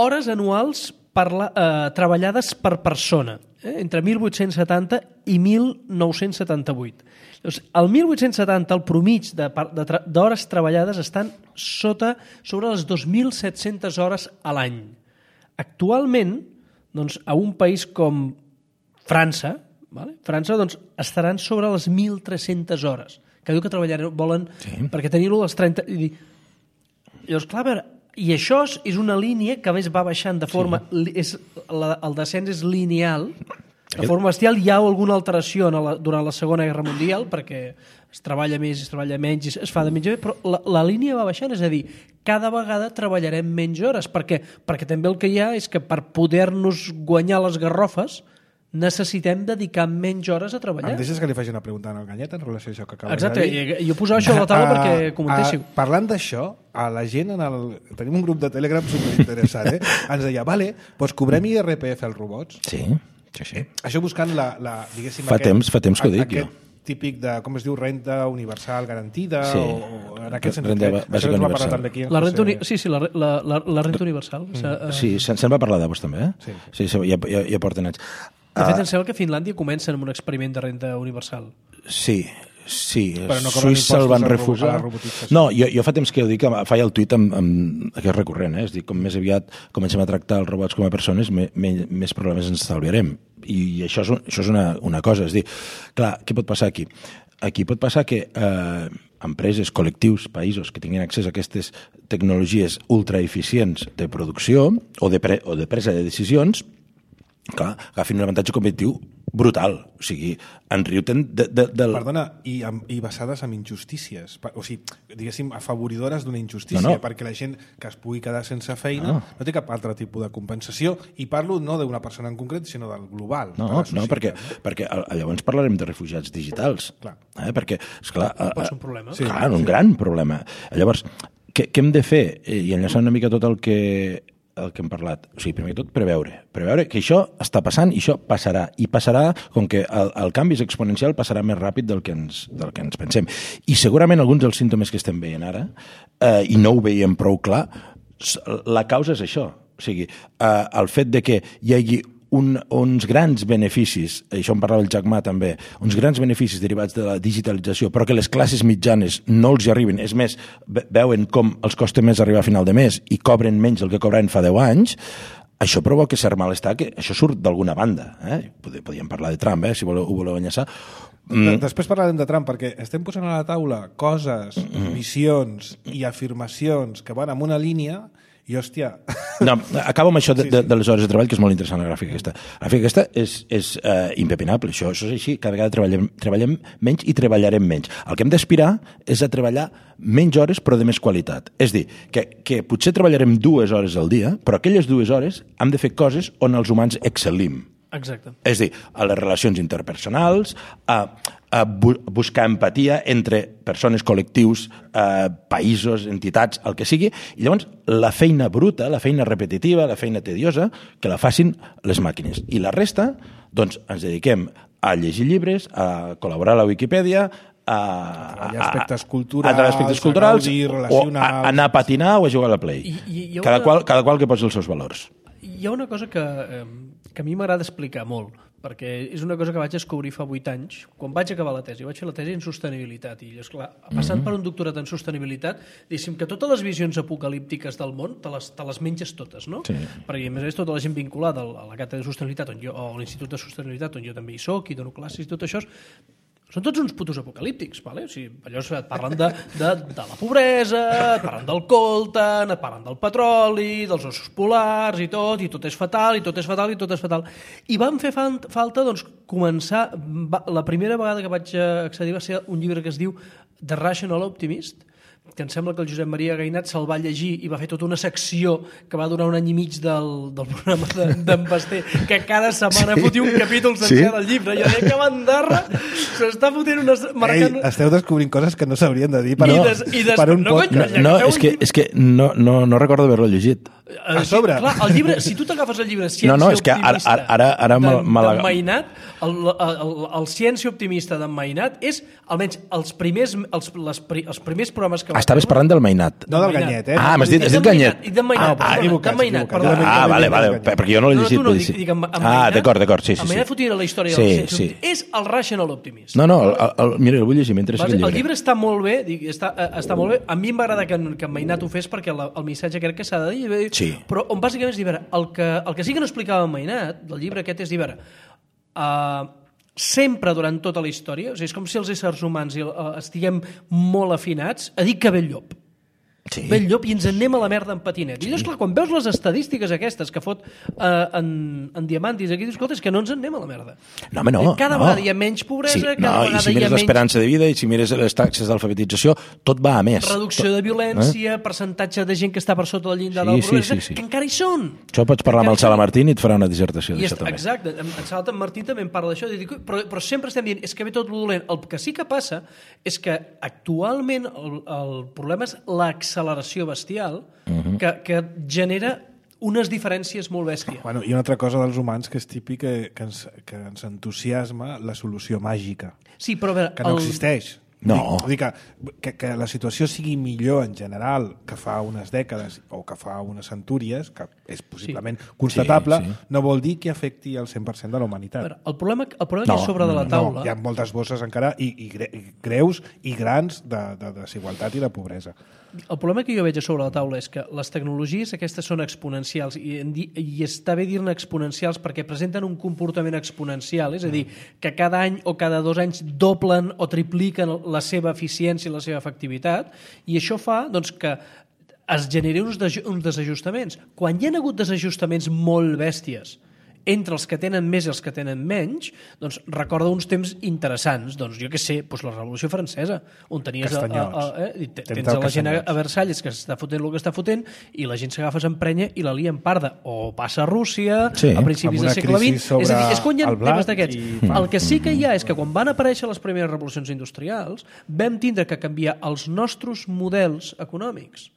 hores anuals treballades per persona, entre 1870 i 1978. Llavors, el 1870, el promig d'hores treballades estan sobre les 2.700 hores a l'any. Actualment, doncs, a un país com França, França doncs, estaran sobre les 1.300 hores, que diu que volen perquè tenir-ho a les 30... Llavors, clar, a veure, i això és una línia que a més va baixant de forma... El descens és lineal, de forma bestial. Hi ha alguna alteració durant la Segona Guerra Mundial, perquè es treballa més, es treballa menys, es fa de menys, però la línia va baixant, és a dir, cada vegada treballarem menys hores, perquè també el que hi ha és que per poder-nos guanyar les garrofes necessitem dedicar menys hores a treballar. Em deixes que li faci una pregunta al Ganyet en relació a això que acabes Exacte, de dir? Exacte, jo posava això a la taula perquè comentéssiu. Parlant d'això, a la gent tenim un grup de Telegram superinteressant, ens deia, vale, doncs cobrem IRPF als robots? Sí. Això buscant diguéssim... Fa temps que ho dic, jo. Típic de, com es diu, renta universal garantida, o en aquest sentit. Renta bàsica universal. La renta universal. Sí, se'n va parlar de vos també, eh? Sí, ja porten anys. De fet, em sembla que a Finlàndia comencen amb un experiment de renta universal. Sí, no Suïssa el van refusar. No, jo fa temps que ho dic, faig el tuit que és recurrent, és dir, com més aviat comencem a tractar els robots com a persones, més problemes ens estalviarem. I això és una cosa, és dir, clar, què pot passar aquí? Aquí pot passar que empreses, col·lectius, països que tinguin accés a aquestes tecnologies ultraeficients de producció o de presa de decisions, clar, agafin un avantatge competitiu brutal, o sigui, enriuten Perdona, i basades en injustícies, o sigui, diguéssim, afavoridores d'una injustícia, perquè la gent que es pugui quedar sense feina no té cap altre tipus de compensació, i parlo no d'una persona en concret, sinó del global. No, perquè llavors parlarem de refugiats digitals, perquè, esclar, pot ser un problema. Clar, un gran problema. Llavors, què hem de fer? I enllaçant una mica tot el que hem parlat. O sigui, primer de tot, preveure que això està passant i això passarà. I passarà, com que el canvi és exponencial, passarà més ràpid del que ens pensem. I segurament alguns dels símptomes que estem veient ara, i no ho veiem prou clar, la causa és això. O sigui, el fet de que hi hagi uns grans beneficis, això en parlava el Jack Ma també, uns grans beneficis derivats de la digitalització, però que les classes mitjanes no els hi arriben, és més, veuen com els costa més arribar a final de mes i cobren menys del que cobraven fa 10 anys, això provoca cert malestar, que això surt d'alguna banda. Podríem parlar de Trump, si ho voleu enllaçar. Després parlarem de Trump, perquè estem posant a la taula coses, visions i afirmacions que van en una línia. I, hòstia... No, acabo amb això de les hores de treball, que és molt interessant, la gràfica aquesta. La gràfica aquesta és impepinable, això és així, cada vegada treballem menys i treballarem menys. El que hem d'aspirar és a treballar menys hores però de més qualitat. És dir, que potser treballarem 2 hores al dia, però aquelles 2 hores hem de fer coses on els humans excel·lim. Exacte. És dir, a les relacions interpersonals, a buscar empatia entre persones, col·lectius, països, entitats, el que sigui, i llavors la feina bruta, la feina repetitiva, la feina tediosa, que la facin les màquines. I la resta, doncs, ens dediquem a llegir llibres, a col·laborar a la Wikipedia, a aspectes culturals, o a anar a patinar o a jugar a la Play. Cada qual que posi els seus valors. Hi ha una cosa que a mi m'agrada explicar molt, perquè és una cosa que vaig descobrir fa 8 anys, quan vaig acabar la tesi. Vaig fer la tesi en sostenibilitat, i esclar, passant per un doctorat en sostenibilitat, diguéssim que totes les visions apocalíptiques del món te les menges totes, no? Sí. Perquè a més tota la gent vinculada a la càtedra de sostenibilitat o a l'Institut de Sostenibilitat, on jo també hi soc i dono classes i tot això, són tots uns putos apocalíptics, vale? O sigui, allò et parlen de la pobresa, et parlen del coltan, et parlen del petroli, dels ossos polars i tot és fatal, i tot és fatal, i tot és fatal. I vam fer falta, doncs, començar... La primera vegada que vaig accedir va ser un llibre que es diu The Rational Optimist, que em sembla que el Josep Maria Gainat se'l va llegir i va fer tota una secció que va durar un any i mig del programa d'en Basté, que cada setmana fotia un capítol sencer del llibre. Jo deia que bandarra s'està fotent marcant... Ei, esteu descobrint coses que no s'haurien de dir per un pot. No, és que no recordo haver-lo llegit. A sobre. Clar, el llibre, si tu t'agafes el llibre Ciència és que ara d'en Mainat, el Ciència Optimista d'en Mainat és, almenys, els primers programes que va... Estaves parlant del Mainat. No del Ganyet, m'has dit Ganyet. I d'en Mainat, d'en Mainat. Vale, perquè jo no l'he llegit. No, dic en Mainat. D'acord, sí. En Mainat fotia la història del Ciència Optimista. És el Rational Optimist. No, mira, el vull llegir mentre sigui el llibre. El llibre està molt bé, està molt bé. A mi m'agrada que en Mainat ho fes perquè el missatge crec que s'ha de dir. Sí. Però on bàsicament és dir, el que sí que no explicava en Mainat, del llibre aquest, és dir, sempre durant tota la història, o sigui, és com si els éssers humans estiguem molt afinats a dir que ve el llop. Sí. Ve el llop i ens en anem a la merda en patinet. I llavors, clar, quan veus les estadístiques aquestes que fot en Diamantis, aquí dius, escolta, és que no ens en anem a la merda. No, home, no. Cada vegada hi ha menys pobresa, cada vegada hi ha menys... I si mires l'esperança de vida, i si mires les taxes d'alfabetització, tot va a més. Reducció de violència, percentatge de gent que està per sota del llindar de la pobresa, que encara hi són. Això pots parlar amb el Sala Martín i et farà una dissertació d'això també. Exacte, en Sala Martín també en parla d'això, però sempre estem dient, és que ve tot lo dolent. El que sí que passa és que actualment el problema és l'acceleració bestial que genera unes diferències molt bèsties. Bueno, i una altra cosa dels humans que és típic que ens entusiasma la solució màgica. Sí, però a veure... Que no existeix. No. Vull dir que la situació sigui millor en general que fa unes dècades o que fa unes centúries, que és possiblement constatable, no vol dir que afecti el 100% de la humanitat. El problema que hi ha sobre de la taula... Hi ha moltes bosses encara i greus i grans de desigualtat i de pobresa. El problema que jo veig a sobre la taula és que les tecnologies aquestes són exponencials i està bé dir-ne exponencials perquè presenten un comportament exponencial, és a dir, que cada any o cada 2 anys doblen o tripliquen la seva eficiència i la seva efectivitat, i això fa doncs, que es generi uns desajustaments. Quan hi ha hagut desajustaments molt bèsties entre els que tenen més i els que tenen menys, doncs recorda uns temps interessants. Doncs jo què sé, doncs la Revolució Francesa, on tenies tens la gent a Versalles que està fotent el que està fotent i la gent s'agafa, s'emprenya i la lia en parda. O passa a Rússia, a principis del segle XX. És a dir, és quan hi ha temes d'aquests. El que sí que hi ha és que quan van aparèixer les primeres revolucions industrials vam tindre que canviar els nostres models econòmics.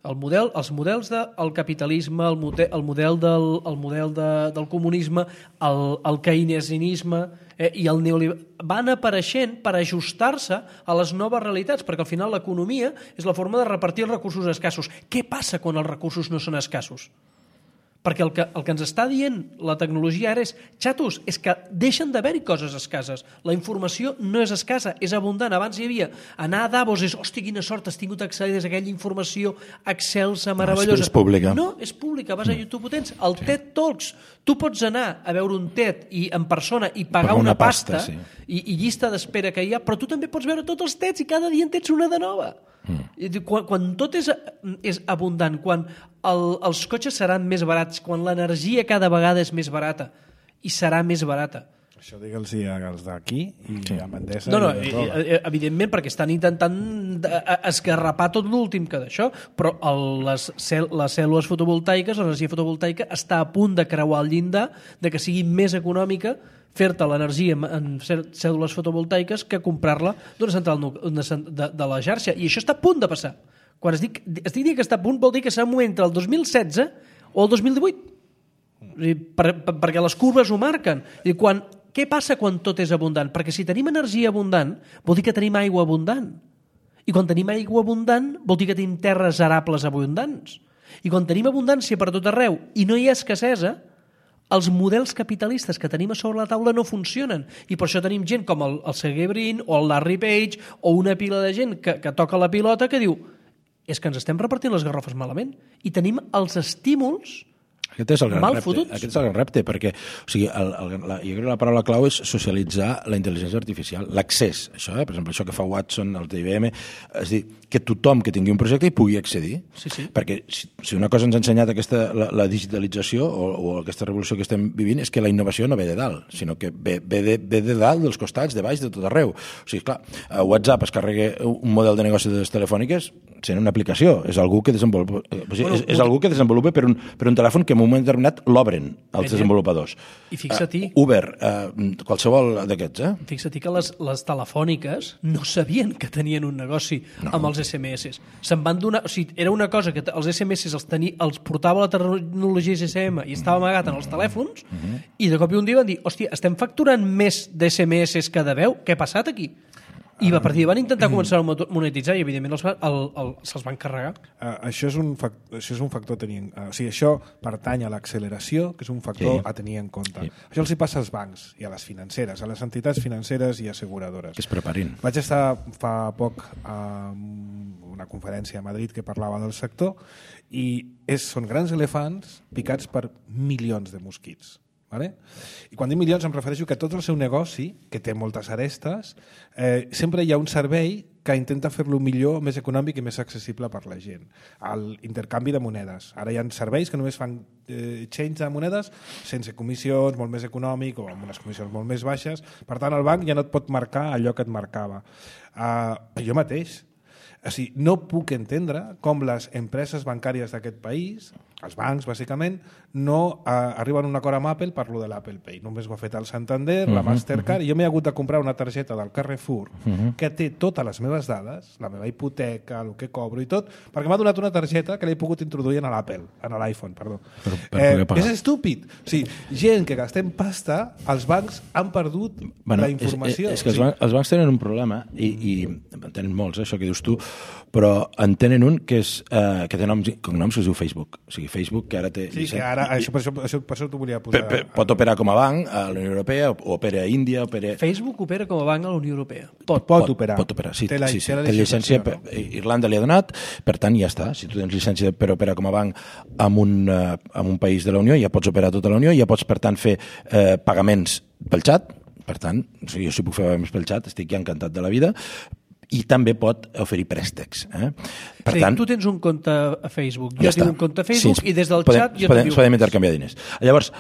Els models del capitalisme, el model del comunisme, el keynesianisme i el neoliberalisme van apareixent per ajustar-se a les noves realitats, perquè al final l'economia és la forma de repartir els recursos escassos. Què passa quan els recursos no són escassos? Perquè el que ens està dient la tecnologia ara és, xatos, és que deixen d'haver-hi coses escasses. La informació no és escassa, és abundant. Abans hi havia anar a Davos, hòstia, quina sort, has tingut accés a aquella informació excelsa, meravellosa. És pública. No, és pública, vas a YouTube, ho tens. El TED Talks, tu pots anar a veure un TED en persona i pagar una pasta i llista d'espera que hi ha, però tu també pots veure tots els TEDs i cada dia en tens una de nova. Quan tot és abundant, quan els cotxes seran més barats, quan l'energia cada vegada és més barata i serà més barata. Això digue'ls als d'aquí i a Mandesa. No, evidentment, perquè estan intentant esgarrapar tot l'últim que d'això, però les cèl·lules fotovoltaiques, l'energia fotovoltaica està a punt de creuar el llindar de que sigui més econòmica fer-te l'energia en cèl·lules fotovoltaiques que comprar-la d'una central de la xarxa. I això està a punt de passar. Quan estic dient que està a punt, vol dir que serà un moment entre el 2016 o el 2018. Perquè les curves ho marquen. Què passa quan tot és abundant? Perquè si tenim energia abundant, vol dir que tenim aigua abundant. I quan tenim aigua abundant, vol dir que tenim terres arables abundants. I quan tenim abundància per tot arreu i no hi ha escassesa, els models capitalistes que tenim a sobre la taula no funcionen. I per això tenim gent com el Sergey Brin o el Larry Page o una pila de gent que toca la pilota que diu és que ens estem repartint les garrofes malament i tenim els estímuls Aquest és el gran Mal repte. fotuts. Aquest és el gran repte, perquè jo crec que la paraula clau és socialitzar la intel·ligència artificial, l'accés. Això, per exemple, això que fa Watson, el d'IBM, és dir, que tothom que tingui un projecte hi pugui accedir. Sí. Perquè si una cosa ens ha ensenyat la digitalització o aquesta revolució que estem vivint és que la innovació no ve de dalt, sinó que ve de dalt, dels costats, de baix, de tot arreu. O sigui, clar, a WhatsApp es carrega un model de negoci de les telefòniques sent una aplicació. És algú que desenvolupa, és algú que desenvolupa per un telèfon que en un moment determinat l'obren els desenvolupadors. I fixa-t'hi... Uber, qualsevol d'aquests, Fixa-t'hi que les telefòniques no sabien que tenien un negoci amb els SMS. Se'n van donar... O sigui, era una cosa que els SMS els portava la tecnologia GSM i estava amagat en els telèfons i de cop i un dia van dir, hòstia, estem facturant més d'SMS que de veu? Què ha passat aquí? I a partir van intentar començar a monetitzar i evidentment se'ls van carregar. Això és un factor a tenir... O sigui, això pertany a l'acceleració, que és un factor a tenir en compte. Sí. Això els hi passa als bancs i a les financeres, a les entitats financeres i asseguradores. Que es preparin. Vaig estar fa poc a una conferència a Madrid que parlava del sector i són grans elefants picats per milions de mosquits. Vale? I quan dic milions em refereixo que tot el seu negoci, que té moltes arestes, sempre hi ha un servei que intenta fer-lo millor, més econòmic i més accessible per la gent. L'intercanvi de monedes. Ara hi ha serveis que només fan change de monedes sense comissions, molt més econòmic o amb unes comissions molt més baixes. Per tant, el banc ja no et pot marcar allò que et marcava. Jo mateix. O sigui, no puc entendre com les empreses bancàries d'aquest país, els bancs, bàsicament, no arriben a un acord amb Apple per lo de l'Apple Pay. Només ho ha fet el Santander, la Mastercard, i jo m'he hagut de comprar una targeta del Carrefour que té totes les meves dades, la meva hipoteca, el que cobro i tot, perquè m'ha donat una targeta que l'he pogut introduir en l'Apple, en l'iPhone, perdó. És estúpid. O sigui, gent que gastem pasta, els bancs han perdut la informació. És que els bancs tenen un problema, i en tenen molts, això que dius tu, però en tenen un que té noms i cognoms que es diu Facebook. O sigui, Facebook, que ara té... Sí, que ara, per això t'ho volia posar. Pot operar com a banc a la Unió Europea, o opera a Índia, Facebook opera com a banc a la Unió Europea. Pot operar. Pot operar, sí. Té llicència, Irlanda li ha donat, per tant, ja està. Si tu tens llicència per operar com a banc en un país de la Unió, ja pots operar a tota la Unió, ja pots, per tant, fer pagaments pel xat. Per tant, jo si puc fer pagaments pel xat, estic ja encantat de la vida, i també pot oferir préstecs. Per tant, tu tens un compte a Facebook, jo tinc un compte a Facebook i des del xat jo t'envio... Podem intercanviar diners. Llavors,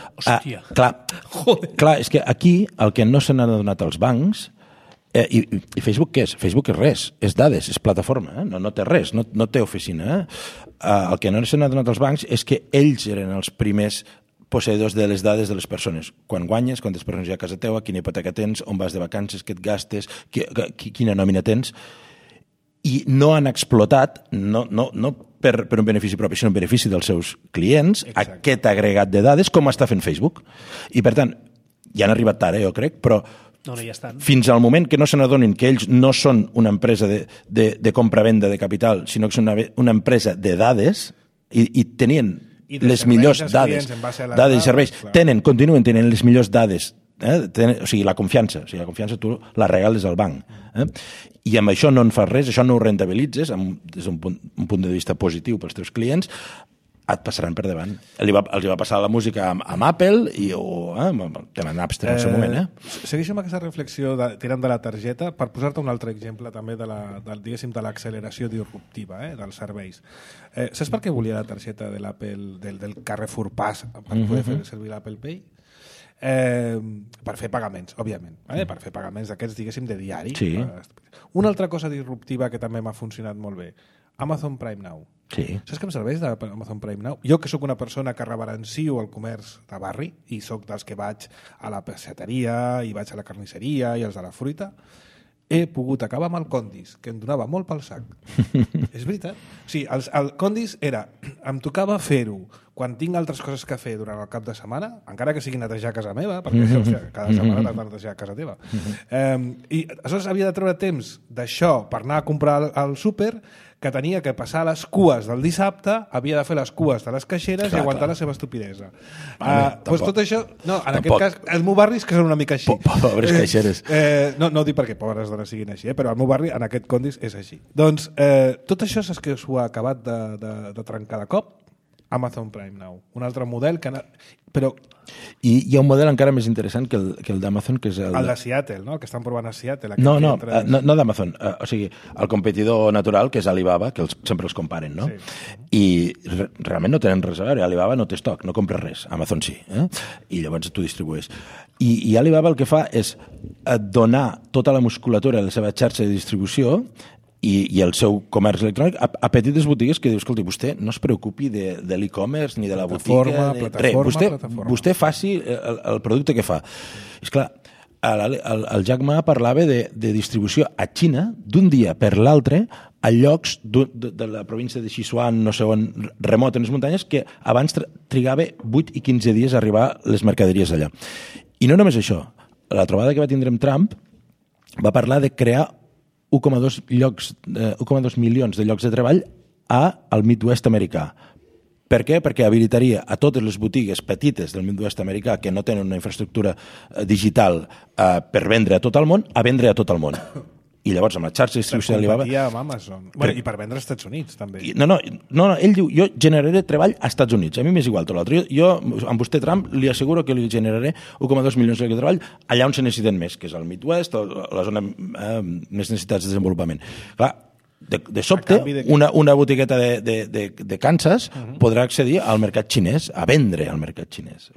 clar, és que aquí el que no se n'ha donat als bancs, i Facebook què és? Facebook és res, és dades, és plataforma, no té res, no té oficina. El que no se n'ha donat als bancs és que ells eren els primers posseïdors de les dades de les persones. Quan guanyes, quantes persones hi ha a casa teva, quina hipoteca tens, on vas de vacances, què et gastes, quina nòmina tens, i no han explotat, no per un benefici propi, sinó un benefici dels seus clients, aquest agregat de dades, com està fent Facebook. I, per tant, ja han arribat tard, jo crec, però fins al moment que no se n'adonin que ells no són una empresa de compra-venda de capital, sinó que són una empresa de dades, i tenien les millors dades i serveis, continuen tenint les millors dades, o sigui, la confiança tu la regales al banc, i amb això no en fas res, això no ho rentabilitzes des d'un punt de vista positiu pels teus clients, et passaran per davant. Els va passar la música amb Apple o amb el tema Napster en el seu moment. Segueixo amb aquesta reflexió tirant de la targeta per posar-te un altre exemple també de l'acceleració disruptiva dels serveis. Saps per què volia la targeta de l'Apple, del Carrefour Pass per poder fer servir l'Apple Pay? Per fer pagaments, òbviament. Per fer pagaments d'aquests, diguéssim, de diari. Sí. Una altra cosa disruptiva que també m'ha funcionat molt bé, Amazon Prime Now. Sí. Saps què em serveix d'Amazon Prime Now? Jo, que sóc una persona que reverencio el comerç de barri i sóc dels que vaig a la pesseteria i vaig a la carnisseria i els de la fruita, he pogut acabar amb el Condis, que em donava molt pel sac. És veritat. O sigui, el Condis era... Em tocava fer-ho quan tinc altres coses que fer durant el cap de setmana, encara que sigui netejar casa meva, perquè cada setmana t'has de netejar casa teva. I aleshores havia de treure temps d'això per anar a comprar al súper, que tenia que passar les cues del dissabte, havia de fer les cues de les caixeres i aguantar la seva estupidesa. Doncs tot això... No, en aquest cas, els meus barris que són una mica així. Pobres caixeres. No ho dic perquè pobres dones siguin així, però el meu barri, en aquest Condis, és així. Doncs tot això saps que s'ho ha acabat de trencar de cop? Amazon Prime Now. Un altre model que... Però... I hi ha un model encara més interessant que el d'Amazon, que és el de Seattle, no? Que estan provant a Seattle. No d'Amazon. O sigui, el competidor natural, que és Alibaba, que sempre els comparen, no? Sí. I realment no tenen res a veure. Alibaba no té estoc, no compra res. Amazon sí. I llavors tu distribueix. I Alibaba el que fa és donar tota la musculatura de la seva xarxa de distribució i el seu comerç electrònic a petites botigues que diu, escolti, vostè no es preocupi de l'e-commerce ni de la botiga. Vostè faci el producte que fa. És clar, el Jack Ma parlava de distribució a Xina d'un dia per l'altre a llocs de la província de Sichuan, no sé on, remot en les muntanyes, que abans trigava 8 i 15 dies a arribar les mercaderies allà. I no només això. La trobada que va tindre amb Trump va parlar de crear 1,2 milions de llocs de treball al Midwest americà. Per què? Perquè habilitaria a totes les botigues petites del Midwest americà que no tenen una infraestructura digital per vendre a tot el món, a vendre a tot el món. I llavors amb la xarxa de distribució d'Alibaba... Per competir amb Amazon. I per vendre als Estats Units, també. No, ell diu, jo generaré treball als Estats Units. A mi m'és igual tot l'altre. Jo, amb vostè, Trump, li asseguro que li generaré 1,2 milions de treball allà on se necessiten més, que és el Midwest o la zona més necessitats de desenvolupament. Clar, de sobte, una botigueta de Kansas podrà accedir al mercat xinès, a vendre al mercat xinès.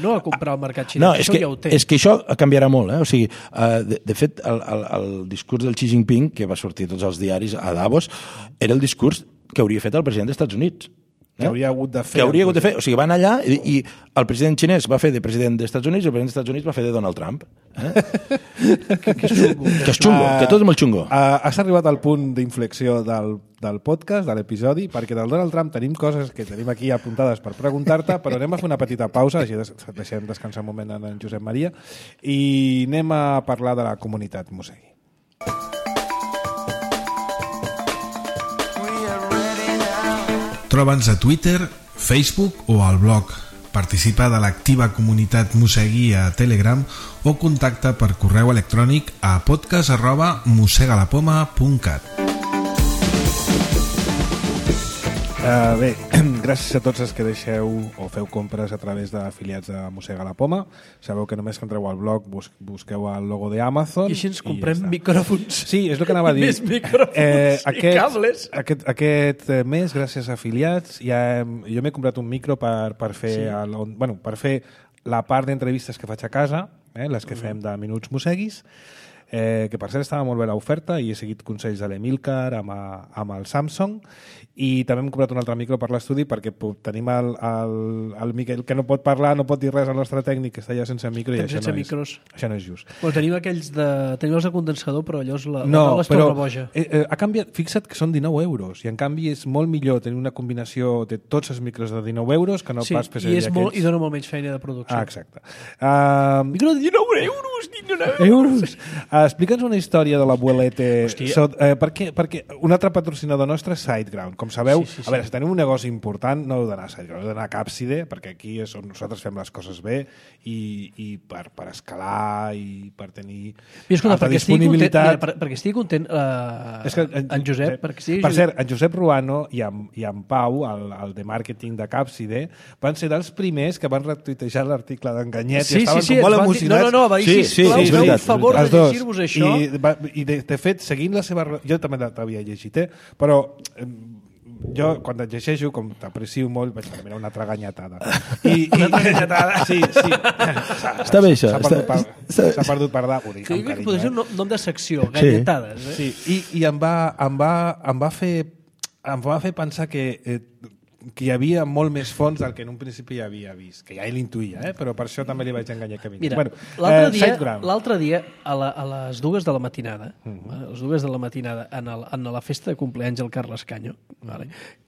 No a comprar al mercat xinès, no, això ja ho té. És que això canviarà molt. O sigui, de fet, el discurs del Xi Jinping, que va sortir a tots els diaris a Davos, era el discurs que hauria fet el president dels Estats Units. Que hauria hagut de fer. Que hauria hagut de fer. O sigui, van allà i el president xinès va fer de president dels Estats Units i el president dels Estats Units va fer de Donald Trump. Que és xungo, que tot és molt xungo. Has arribat al punt d'inflexió del podcast, de l'episodi, perquè del Donald Trump tenim coses que tenim aquí apuntades per preguntar-te, però anem a fer una petita pausa, així deixem descansar un moment en Josep Maria, i anem a parlar de la comunitat Mosegui. Troba'ns a Twitter, Facebook o al blog. Participa de l'activa comunitat Mosegui a Telegram o contacta per correu electrònic a podcast@mosegalapoma.cat. Bé, gràcies a tots els que deixeu o feu compres a través d'afiliats de Mossega la Poma. Sabeu que només que entreu al blog busqueu el logo d'Amazon. I així ens comprem micròfons. Sí, és el que anava a dir. Més micròfons i cables. Aquest mes, gràcies a afiliats, jo m'he comprat un micro per fer per fer la part d'entrevistes que faig a casa, les que fem de Minuts Mosseguis, que per cert estava molt bé l'oferta i he seguit consells de l'Emilcar amb el Samsung, i també hem comprat un altre micro per l'estudi perquè tenim el Miquel que no pot parlar, no pot dir res, el nostre tècnic que està allà sense micro i això no és just. Bueno, tenim els de condensador, però allò és la roba es torna boja. Ha canviat, fixa't que són 19 euros i en canvi és molt millor tenir una combinació de tots els micros de 19 euros que no pas fer servir aquells. I dona molt menys feina de producció. Exacte. Micro de 19 euros! Explica'ns una història de l'abuelete. Perquè un altre patrocinador nostre és SiteGround. Com sabeu, a veure, si tenim un negoci important, no heu d'anar a SiteGround, heu d'anar a Capside, perquè aquí és on nosaltres fem les coses bé i per escalar i per tenir alta disponibilitat. Perquè estigui content en Josep. Per cert, en Josep Ruano i en Pau, el de màrqueting de Capside, van ser dels primers que van retuitejar l'article d'Enganyet i estaven com molt emocionats. No, va dir, sisplau, feu un favor de llegir-vos això. I de fet, seguint la seva... Jo també t'havia llegit, però jo, quan et llegeixo, com t'aprecio molt, vaig dir, mira, una altra ganyatada. Una altra ganyatada? Sí. Està bé, això. S'ha perdut per dar. Podria ser un nom de secció, ganyatades. Sí, i em va fer pensar que hi havia molt més fons del que en un principi havia vist, que ja ell intuïa, però per això també li vaig enganyar que Mira, l'altre dia a les 2 de la matinada, a les 2 de la matinada en la festa de compleanys del Carles Canyo,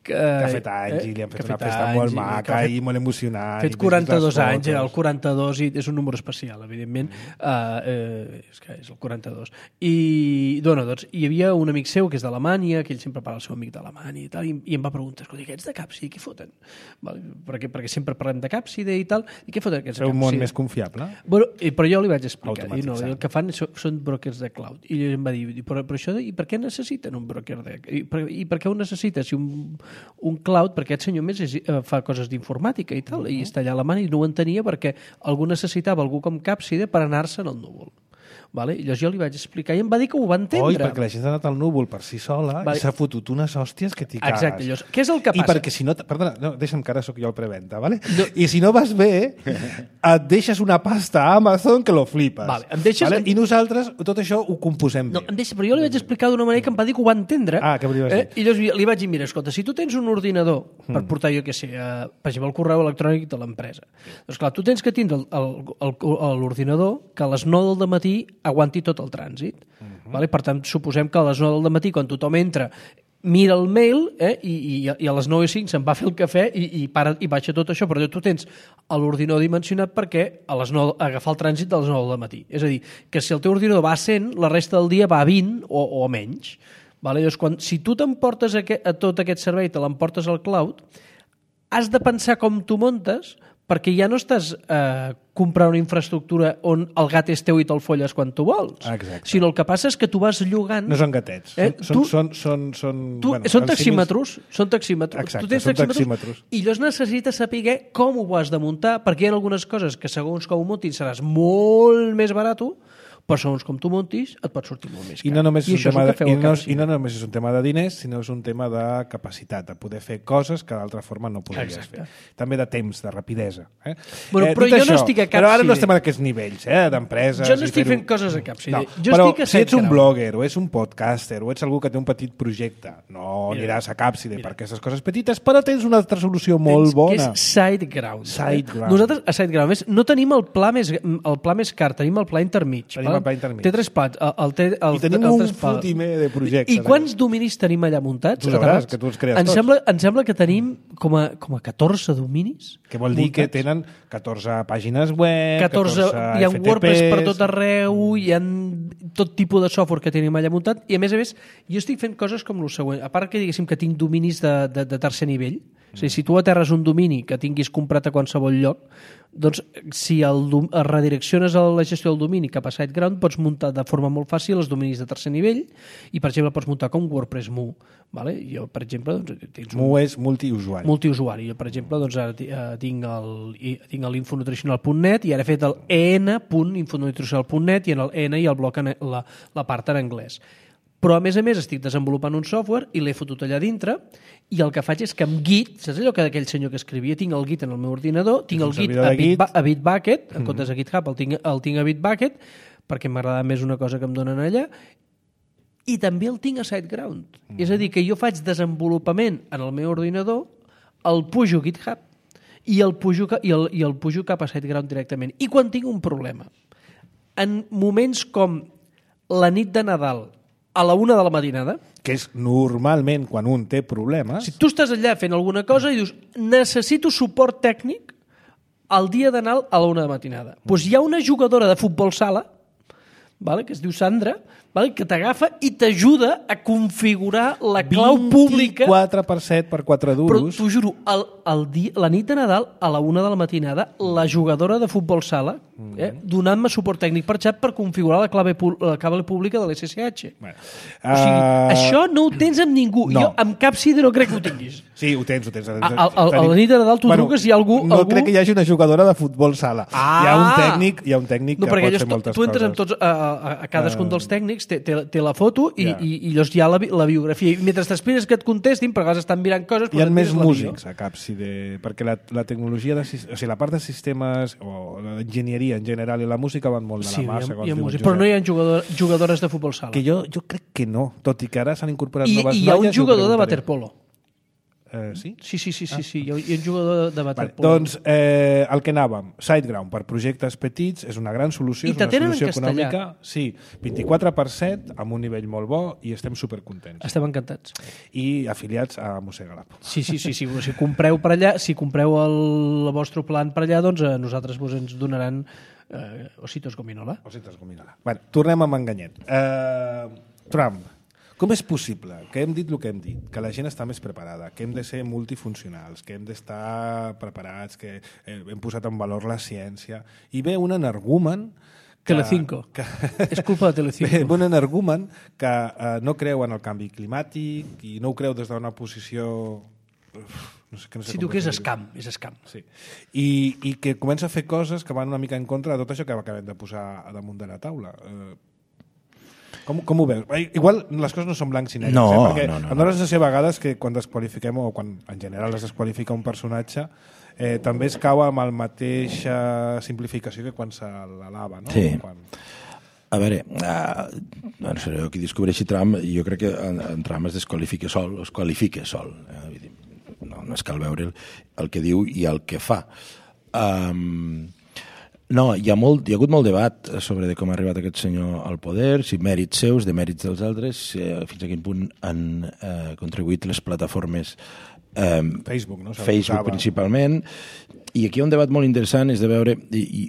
que ha fet anys i li han fet una festa molt maca i molt emocionant. Ha fet 42 anys, el 42 i és un número especial, evidentment, és que és el 42. I doncs, hi havia un amic seu que és d'Alemanya, que ell sempre parla el seu amic d'Alemanya i tal, i em va preguntar, escolta, aquests de Capside, què foten? Perquè sempre parlem de Capside i tal, i què foten aquests de Capside? És un món més confiable. Bueno, però jo li vaig explicar, el que fan són brokers de cloud, i ell em va dir, però això, i per què necessiten un broker i per què ho necessita? Si un cloud, perquè aquest senyor més fa coses d'informàtica i tal, i està allà a Alemanya i no ho entenia perquè algú necessitava algú com Càpside per anar-se en el núvol. Vale? I llavors jo li vaig explicar i em va dir que ho va entendre. Oi, perquè la gent ha anat al núvol per si sola i s'ha fotut unes hòsties que t'hi cagues. Exacte, llavors, què és el que passa? I perquè si no... Perdona, no, deixa'm que ara sóc jo el preventa, ¿vale? No. I si no vas bé, et deixes una pasta a Amazon que lo flipes. Vale, em deixes... Vale? I nosaltres tot això ho composem bé. No, però jo li vaig explicar d'una manera que em va dir que ho va entendre. Ah, què volies dir? I llavors li vaig dir, mira, escolta, si tu tens un ordinador per portar, jo què sé, per exemple, el correu electrònic de l'empresa, doncs clar, tu tens que tindre l'ordinador que a les 9 del matí aguanti tot el trànsit. Vale? Per tant, suposem que a les 9 del matí, quan tothom entra, mira el mail i a les 9:05 se'n va fer el cafè i baixa tot això, però tu tens l'ordinador dimensionat perquè a les 9 agafar el trànsit de les 9 del matí. És a dir, que si el teu ordinador va a 100, la resta del dia va a 20 o menys. Vale? Llavors, si tu t'emportes a tot aquest servei, te l'emportes al cloud, has de pensar com tu montes, perquè ja no estàs comprant una infraestructura on el gat és teu i te'l folles quan tu vols. Exacte. Sinó el que passa és que tu vas llogant... No són gatets. Són taxímetres. Són taxímetres. Exacte, tu tens taxímetres. I llavors necessites saber com ho has de muntar, perquè hi ha algunes coses que segons com ho muntis seràs molt més barat, però segons com tu montis et pot sortir molt més car. I no només és un tema de diners, sinó és un tema de capacitat, de poder fer coses que d'altra forma no podries fer. També de temps, de rapidesa. Bueno, però jo no estic a Càpside. Però ara no estem en aquests nivells, d'empreses... Jo no estic fent coses a Càpside. Però si ets un blogger o ets un podcaster o ets algú que té un petit projecte, no aniràs a Càpside per aquestes coses petites, però tens una altra solució molt bona. Que és SiteGround. Nosaltres a SiteGround no tenim el pla més car, tenim el pla intermig. Té 3 plats. I tenim un fotimer de projectes. I quants dominis tenim allà muntats? Tu sabràs, que tu els crees tots. Em sembla que tenim com a 14 dominis. Que vol dir que tenen 14 pàgines web, 14 hi ha WordPress per tot arreu, hi ha tot tipus de software que tenim allà muntat, i a més, jo estic fent coses com el següent. A part que diguéssim que tinc dominis de tercer nivell, o sigui, si tu aterres un domini que tinguis comprat a qualsevol lloc, doncs si redirecciones la gestió del domini cap a SiteGround, pots muntar de forma molt fàcil els dominis de tercer nivell i, per exemple, pots muntar com WordPress Mu. Vale? Jo, per exemple... Mu és multiusuari. Multiusuari. Jo, per exemple, tinc l'infonutricional.net i ara he fet el en.infonutricional.net i en el en i el bloc la part en anglès. Però, a més, estic desenvolupant un software i l'he fotut allà dintre i el que faig és que amb Git, saps allò que aquell senyor que escrivia, tinc el Git en el meu ordinador, tinc el Git a Bitbucket, en comptes de GitHub el tinc a Bitbucket, perquè m'agrada més una cosa que em donen allà, i també el tinc a SiteGround. És a dir, que jo faig desenvolupament en el meu ordinador, el pujo a GitHub i el pujo cap a SiteGround directament. I quan tinc un problema, en moments com la nit de Nadal, a la 1 de la matinada, que és normalment quan un té problemes... Si tu estàs allà fent alguna cosa i dius necessito suport tècnic el dia d'anar a la 1 de la matinada. Doncs hi ha una jugadora de futbol sala, que es diu Sandra, que t'agafa i t'ajuda a configurar la clau pública... 24/7 per 4 duros. Però t'ho juro, la nit de Nadal, a la 1 de la matinada, la jugadora de futbol sala, donant-me suport tècnic per xat per configurar la clau pública de l'SSH. Bueno, o sigui, això no ho tens amb ningú. No. Jo amb Càpside no crec que ho tinguis. Sí, ho tens. A la nit de Nadal tu truques i hi ha algú... No crec que hi hagi una jugadora de futbol sala. Hi ha un tècnic que pot fer moltes coses. Tu entres amb tots, a cadascun dels tècnics, té la foto i llavors hi ha la biografia. I mentre t'espires que et contestin, perquè a vegades estan mirant coses... Hi ha més músics a Càpside, perquè la tecnologia, la part de sistemes o l'enginyeria en general i la música van molt de la mà. Sí, hi ha música, però no hi ha jugadores de futbol sala. Que jo crec que no, tot i que ara s'han incorporat noves noies... I hi ha un jugador de waterpolo. Sí? Sí, hi ha un jugador de waterpolo. Doncs el que anàvem, SiteGround per projectes petits és una gran solució, és una solució econòmica. Sí, 24/7 amb un nivell molt bo i estem supercontents. Estem encantats. I afiliats a Mossega la Poma. Sí. Si compreu per allà, si compreu el vostre plan per allà, doncs a nosaltres ens donaran ositos gominola. Ositos gominola. Bueno, tornem a Manganyet. Trump. Com és possible que hem dit el que hem dit, que la gent està més preparada, que hem de ser multifuncionals, que hem d'estar preparats, que hem posat en valor la ciència, i ve un energumen... Telecinco. És culpa de Telecinco. Ve un energumen que no creu en el canvi climàtic i no ho creu des d'una posició no sé Si tu que és escam, és escam. Sí. I que comença a fer coses que van una mica en contra de tot això que acabem de posar a damunt de la taula. Com ho veus? Igual les coses no són blancs i negres, perquè em dóna la sensació a vegades que quan desqualifiquem, o quan en general es desqualifica un personatge, també es cau amb la mateixa simplificació que quan se l'alaba, no? Sí. A veure, no sé, qui descobreixi Trump, jo crec que en Trump es desqualifica sol, es qualifica sol. No és cal veure el que diu i el que fa. No, hi ha hagut molt debat sobre com ha arribat aquest senyor al poder, si mèrits seus, de mèrits dels altres, fins a quin punt han contribuït les plataformes Facebook, no? Facebook principalment, i aquí hi ha un debat molt interessant, és de veure, i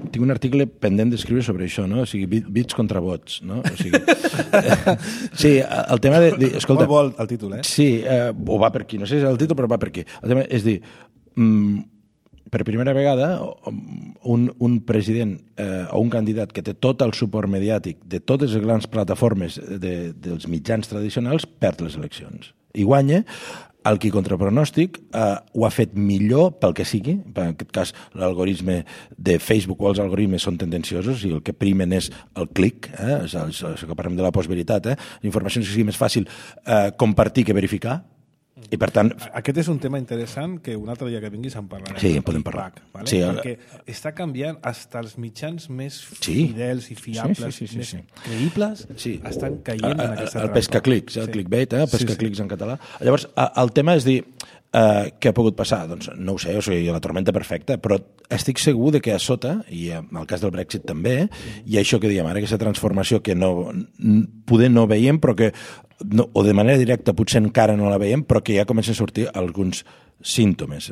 tinc un article pendent d'escriure sobre això, no? O sigui, bits contra vots, no? O sigui, sí, el tema de escolta, molt bo el títol, Sí, o va per aquí, no sé si és el títol, però va per aquí. El tema és dir, per primera vegada, un president o un candidat que té tot el suport mediàtic de totes les grans plataformes dels mitjans tradicionals perd les eleccions. I guanya el qui contra pronòstic ho ha fet millor pel que sigui. En aquest cas, l'algoritme de Facebook o els algoritmes són tendenciosos i el que primen és el clic, això que parlem de la postveritat, la informació que sigui més fàcil compartir que verificar. I per tant... Aquest és un tema interessant que un altre dia que vinguis en parlarem. Sí, en podem parlar. Vale? Sí, perquè està canviant fins als mitjans més fidels i fiables, més creïbles, estan caient en aquesta trampa. El pescaclics, el clickbait, pescaclics en català. Llavors, el tema és dir, què ha pogut passar? Doncs no ho sé, o sigui, la tormenta perfecta, però estic segur de que a sota, i en el cas del Brexit també, hi ha això que diem ara, aquesta transformació que poder no veiem, però que o de manera directa potser encara no la veiem, però que ja comença a sortir alguns símptomes.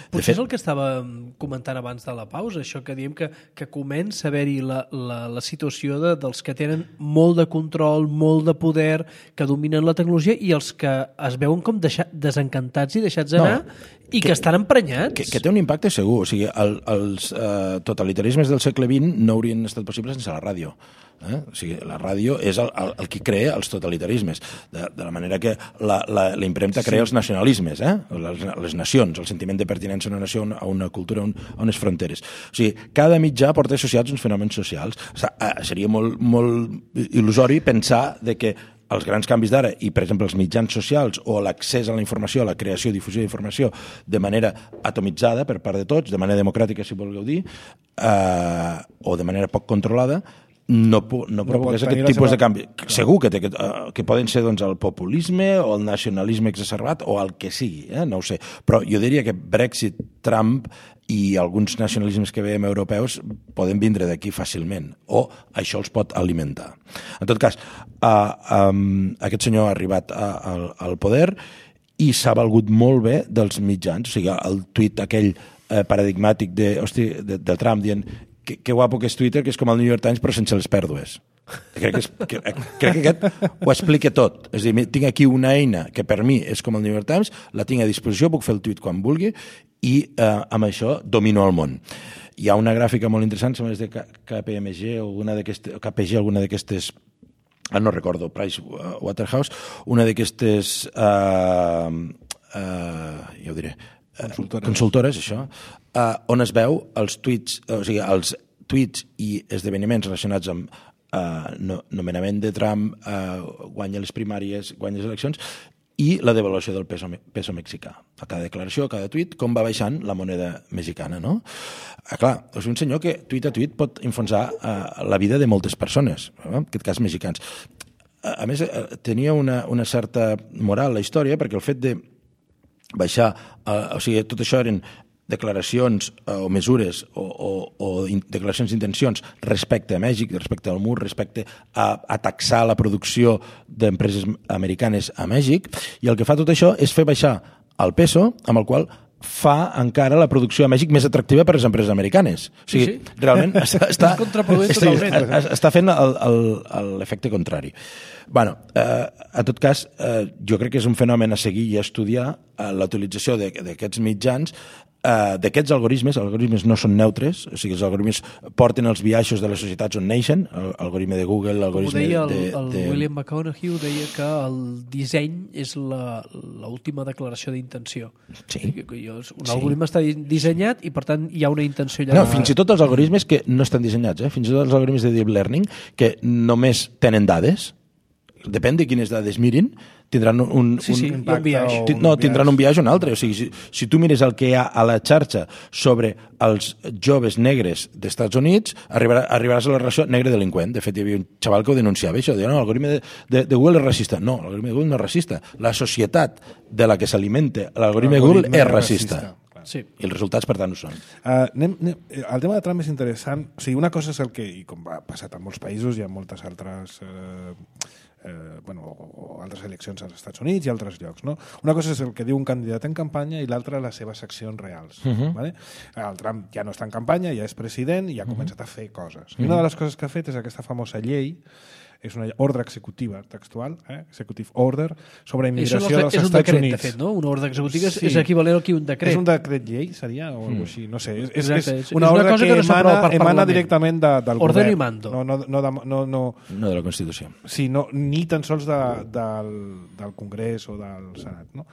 Potser és el que estava comentant abans de la pausa, això que diem que comença a haver-hi la situació dels que tenen molt de control, molt de poder, que dominen la tecnologia i els que es veuen com desencantats i deixats anar i que estan emprenyats. Que té un impacte segur. O sigui, els totalitarismes del segle XX no haurien estat possibles sense la ràdio. O sigui, la ràdio és el que crea els totalitarismes, de la manera que la impremta crea els nacionalismes, les nacions, el sentiment de pertinença a una nació, a una cultura, a unes fronteres. O sigui, cada mitjà porta associats uns fenòmens socials. O sigui, seria molt il·lusori pensar de que els grans canvis d'ara i, per exemple, els mitjans socials o l'accés a la informació, a la creació i difusió d'informació de manera atomitzada per part de tots, de manera democràtica, si vulgueu dir, o de manera poc controlada, no provoqués aquest tipus de canvi. Segur que poden ser el populisme o el nacionalisme exacerbat o el que sigui, no ho sé. Però jo diria que Brexit, Trump i alguns nacionalismes que veiem europeus poden vindre d'aquí fàcilment, o això els pot alimentar. En tot cas, aquest senyor ha arribat al poder i s'ha valgut molt bé dels mitjans. O sigui, el tuit aquell paradigmàtic de Trump dient que guapo que és Twitter, que és com el New York Times però sense les pèrdues. Crec que aquest ho explica tot. És a dir, tinc aquí una eina que per mi és com el New York Times, la tinc a disposició, puc fer el tuit quan vulgui i amb això domino el món. Hi ha una gràfica molt interessant, sembla és de KPMG o KPG, alguna d'aquestes, no recordo, Price Waterhouse, una d'aquestes ja ho diré, consultores, això, on es veu els tuits, o sigui, els tuits i esdeveniments relacionats amb nomenament de Trump, guanya les primàries, guanya les eleccions, i la devaluació del peso mexicà. A cada declaració, a cada tuit, com va baixant la moneda mexicana, no? Clar, és un senyor que tuit a tuit pot enfonsar la vida de moltes persones, en aquest cas mexicans. A més, tenia una certa moral la història, perquè el fet de baixar, o sigui, tot això eren declaracions o mesures o declaracions d'intencions respecte a Mèxic, respecte al mur, respecte a taxar la producció d'empreses americanes a Mèxic, i el que fa tot això és fer baixar el peso, amb el qual fa encara la producció a Mèxic més atractiva per a les empreses americanes. O sigui, realment està fent l'efecte contrari. Bueno, en tot cas, jo crec que és un fenomen a seguir i a estudiar la utilització d'aquests mitjans d'aquests algoritmes no són neutres, o sigui, els algoritmes porten els biaixos de les societats on neixen, l'algoritme de Google, l'algoritme el William McConaughey deia que el disseny és l'última declaració d'intenció. Sí. Un algoritme està dissenyat i, per tant, hi ha una intenció allà. No, fins i tot els algoritmes que no estan dissenyats, fins i tot els algoritmes de deep learning, que només tenen dades, depèn de quines dades mirin, tindran un biaix. Tindran un biaix o un altre. O sigui, si tu mires el que hi ha a la xarxa sobre els joves negres dels Estats Units, arribaràs a la relació negre-delinqüent. De fet, hi havia un xaval que ho denunciava, això, deia, no, l'algoritme de Google és racista. No, l'algoritme de Google no és racista. La societat de la que s'alimenta l'algoritme de Google és racista. Sí. I els resultats, per tant, ho són. El tema de Trump és interessant. O sigui, una cosa és el que, i com ha passat en molts països, hi ha moltes altres altres eleccions als Estats Units i altres llocs, no? Una cosa és el que diu un candidat en campanya i l'altra les seves accions reals. Vale? El Trump ja no està en campanya, ja és president i ja ha començat a fer coses. I una de les coses que ha fet és aquesta famosa llei, és una ordre executiva textual, executive order, sobre immigració dels Estats Units. És un decret, de fet, no? Una ordre executiva és equivalent al que un decret. És un decret llei, seria? O alguna així, no sé. És una ordre cosa que emana directament del govern. Ordre i mando. No de la Constitució. Sí, ni tan sols del Congrés o del Senat. No?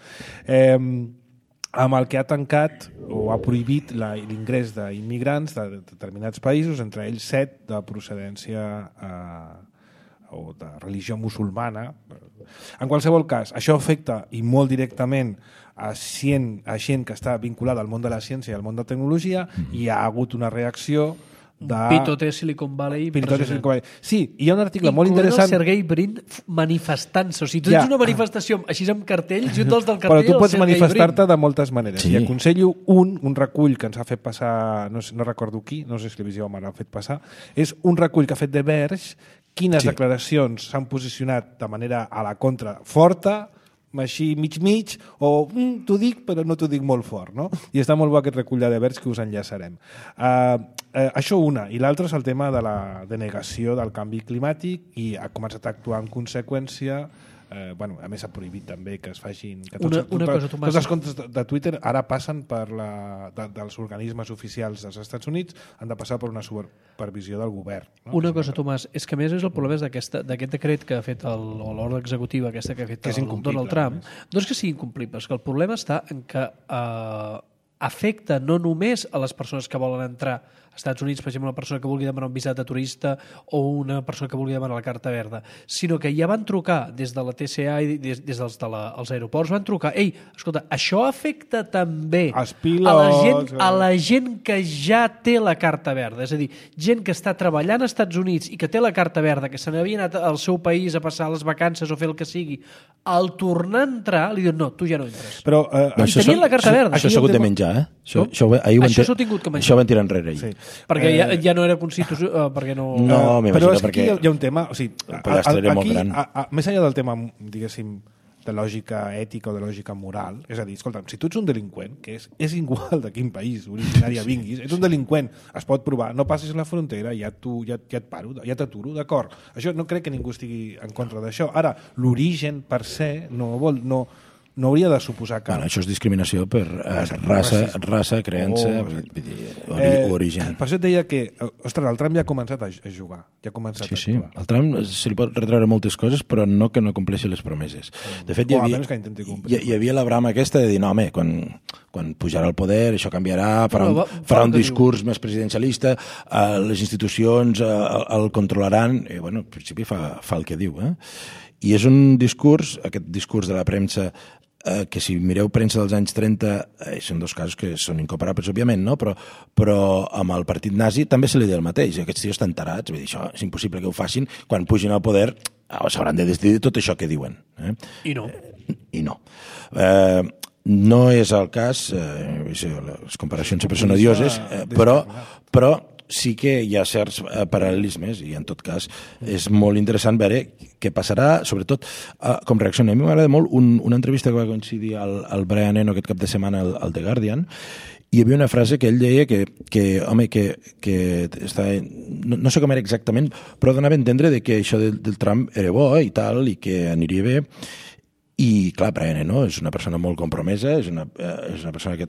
Amb el que ha tancat o ha prohibit l'ingrés d'immigrants de determinats països, entre ells 7 de procedència o de religió musulmana. En qualsevol cas, això afecta i molt directament a gent que està vinculada al món de la ciència i al món de la tecnologia, i hi ha hagut una reacció de... Pitote Silicon Valley. Sí, hi ha un article molt interessant... Incloent el Sergey Brin manifestant-se. O sigui, tu tens una manifestació així amb cartells i un dels del cartell... Però tu pots manifestar-te de moltes maneres. Sí. I aconsello un recull que ens ha fet passar, no recordo qui, no sé si l'Evisió me l'ha fet passar, és un recull que ha fet de Verge, quines declaracions s'han posicionat de manera a la contra forta, així mig, o t'ho dic però no t'ho dic molt fort, no? I està molt bo aquest recull de Verge que us enllaçarem. Això una, i l'altra és el tema de la denegació del canvi climàtic i ha començat a actuar en conseqüència. A més ha prohibit també que es facin que tots els comptes de Twitter ara passen per dels organismes oficials dels Estats Units, han de passar per una supervisió del govern, no? Una cosa, Tomàs, és que a més és el problema d'aquest decret que ha fet l'ordre executiva aquesta que ha fet Donald Trump, no és que sigui incomplible, és que el problema està en que afecta no només a les persones que volen entrar als Estats Units, per exemple, una persona que vulgui demanar un visat de turista o una persona que vulgui demanar la carta verda, sinó que ja van trucar des de la TCA i des dels aeroports, van trucar, ei, escolta, això afecta també a la gent que ja té la carta verda, és a dir, gent que està treballant als Estats Units i que té la carta verda, que se n'havia anat al seu país a passar les vacances o fer el que sigui, al tornar a entrar li diuen, no, tu ja no entres. Però, i tenien la carta verda. Això s'ha hagut de menjar, Això s'ha tingut que menjar. Això ho van tirar enrere ahir. Sí. Perquè ja no era constitució, perquè no... No, però és que perquè aquí hi ha un tema, o sigui, aquí, més enllà del tema, diguéssim, de lògica ètica o de lògica moral, és a dir, escolta'm, si tu ets un delinqüent, que és igual de quin país originari vinguis, ets un delinqüent, es pot provar, no passis la frontera, ja et paro, ja t'aturo, d'acord. Això no crec que ningú estigui en contra d'això. Ara, l'origen per se no hauria de suposar que... Bueno, això és discriminació per raça, creença, origen. Per això et deia que, ostres, el Trump ja ha començat a jugar, ja ha començat a actuar. El Trump se li pot retreure moltes coses, però no que no compleixi les promeses. De fet, hi havia la brama aquesta de dir, no, home, quan pujarà al poder, això canviarà, farà un discurs més presidencialista, les institucions el controlaran, i, bueno, en principi fa el que diu, I és un discurs, aquest discurs de la premsa, que si mireu premsa dels anys 30 són dos casos que són incomparables, òbviament, no? Però amb el partit nazi també se li deia el mateix. Aquests tios estan tarats, vull dir, això és impossible que ho facin. Quan pugin al poder s'hauran de decidir tot això que diuen. I no. No és el cas, les comparacions sempre són odioses, però sí que hi ha certs paral·lelismes i en tot cas és molt interessant veure què passarà, sobretot com reacciona. A mi m'agrada molt una entrevista que va coincidir al Brian Eno aquest cap de setmana al The Guardian. Hi havia una frase que ell deia que no sé com era exactament, però donava a entendre que això del Trump era bo i tal, i que aniria bé. I clar, Brian Eno és una persona molt compromesa, és una persona que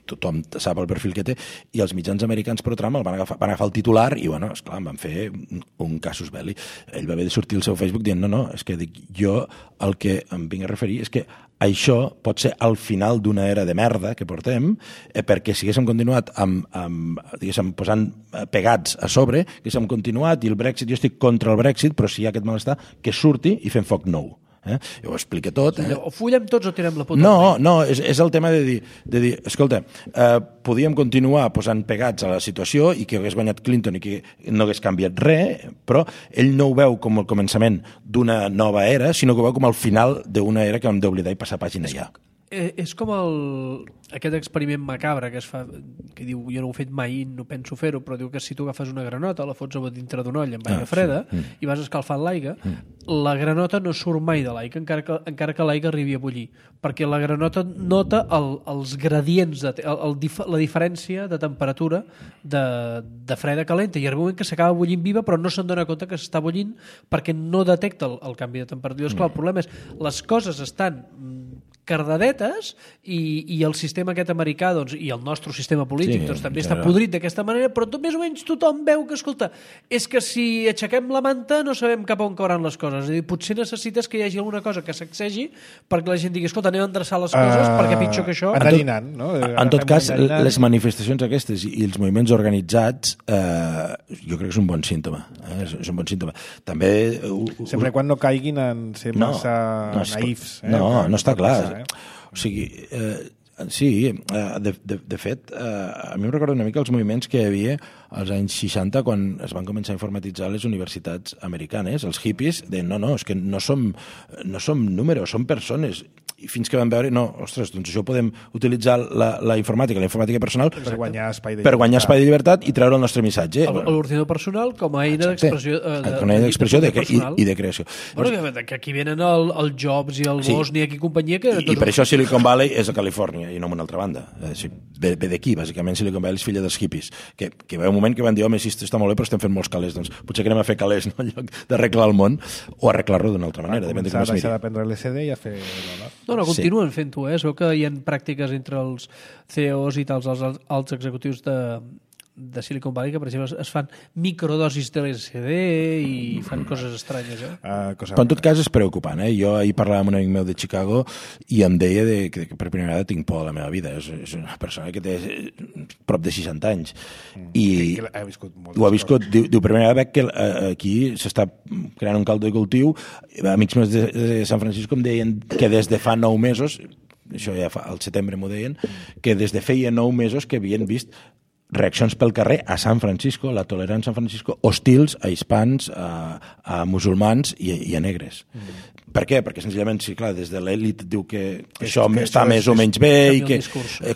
tothom sap el perfil que té, i els mitjans americans pro Trump van agafar el titular i, bueno, esclar, em van fer un casus belli. Ell va haver de sortir al seu Facebook dient, no, és que dic, jo el que em vinc a referir és que això pot ser el final d'una era de merda que portem, perquè si haguéssim continuat diguéssim, posant pegats a sobre, haguéssim continuat, i el Brexit, jo estic contra el Brexit, però si hi ha aquest malestar, que surti i fem foc nou. Jo ho explico tot. O fullem tots o tirem la puta. No, és el tema de dir escolta, podíem continuar posant pegats a la situació i que hagués guanyat Clinton i que no hagués canviat res, però ell no ho veu com el començament d'una nova era, sinó que ho veu com el final d'una era que hem d'oblidar i passar pàgina ja. És com aquest experiment macabre que es fa, que diu, jo no ho he fet mai, no penso fer-ho, però diu que si tu agafes una granota, la fots a dintre d'un olla amb aigua freda i vas escalfant l'aigua, la granota no surt mai de l'aigua, encara que l'aigua arribi a bullir, perquè la granota nota els gradients, la diferència de temperatura de freda a calenta, i arriba un moment que s'acaba bullint viva però no se'n dona compte que s'està bullint perquè no detecta el canvi de temperatura. Esclar, el problema és les coses estan cardadetes i el sistema aquest americà doncs, i el nostre sistema polític doncs, també està podrit d'aquesta manera, però més o menys tothom veu que, escolta, és que si aixequem la manta no sabem cap on cauran les coses. És a dir, potser necessites que hi hagi alguna cosa que sacsegi perquè la gent digui, escolta, anem a endreçar les coses perquè pitjor que això... No? En tot cas, les manifestacions aquestes i els moviments organitzats jo crec que és un bon símptoma. És un bon símptoma. També... Sempre quan no caiguin en ser massa naïfs. No està clar. O sigui, sí, de fet, a mi em recorda una mica els moviments que hi havia als anys 60 quan es van començar a informatitzar les universitats americanes. Els hippies deien, no, és que no som números, som persones. I fins que van veure, ostres, doncs això podem utilitzar la informàtica personal per guanyar espai de llibertat i treure el nostre missatge. L'ordinador personal com a eina d'expressió i de creació. Bueno, que aquí venen el Jobs i el Bosnia i companyia que... I per això Silicon Valley és a Califòrnia i no en una altra banda. Ve d'aquí, bàsicament Silicon Valley és filla dels hippies, que va un moment que van dir, home, si està molt bé però estem fent molts calés, doncs potser que anem a fer calés en lloc d'arreglar el món o arreglar-lo d'una altra manera. Va començar a deixar de prendre l'LSD i a fer... No, continuen fent-ho, es veu que hi ha pràctiques entre els CEOs i tals alts executius de Silicon Valley que, per exemple, es fan microdosis de l'LSD i fan coses estranyes. Però en tot cas és preocupant. Jo ahir parlava amb un amic meu de Chicago i em deia que per primera vegada tinc por a la meva vida. És una persona que té prop de 60 anys i ho ha viscut. Diu, primera vegada que aquí s'està creant un caldo de cultiu. Amics meus de San Francisco em deien que des de fa 9 mesos, això ja al setembre m'ho deien, que des de feia 9 mesos que havien vist reaccions pel carrer a San Francisco, la tolerància a San Francisco, hostils a hispans, a musulmans i a negres. Per què? Perquè senzillament, sí, clar, des de l'elit diu que això està més o menys bé i que,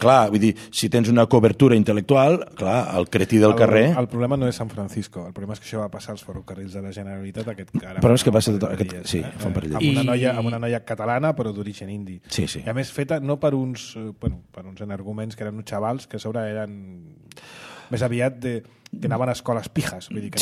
clar, vull dir, si tens una cobertura intel·lectual, clar, el cretí del carrer... El problema no és San Francisco, el problema és que això va passar als ferrocarrils de la Generalitat però és que passa tot aquest... Sí, fa un parell de dies. Amb una noia catalana, però d'origen indi. Sí. I a més feta no per uns energúmens que eren uns xavals que a sobre eren més aviat que anaven a escoles pijes. Vull dir que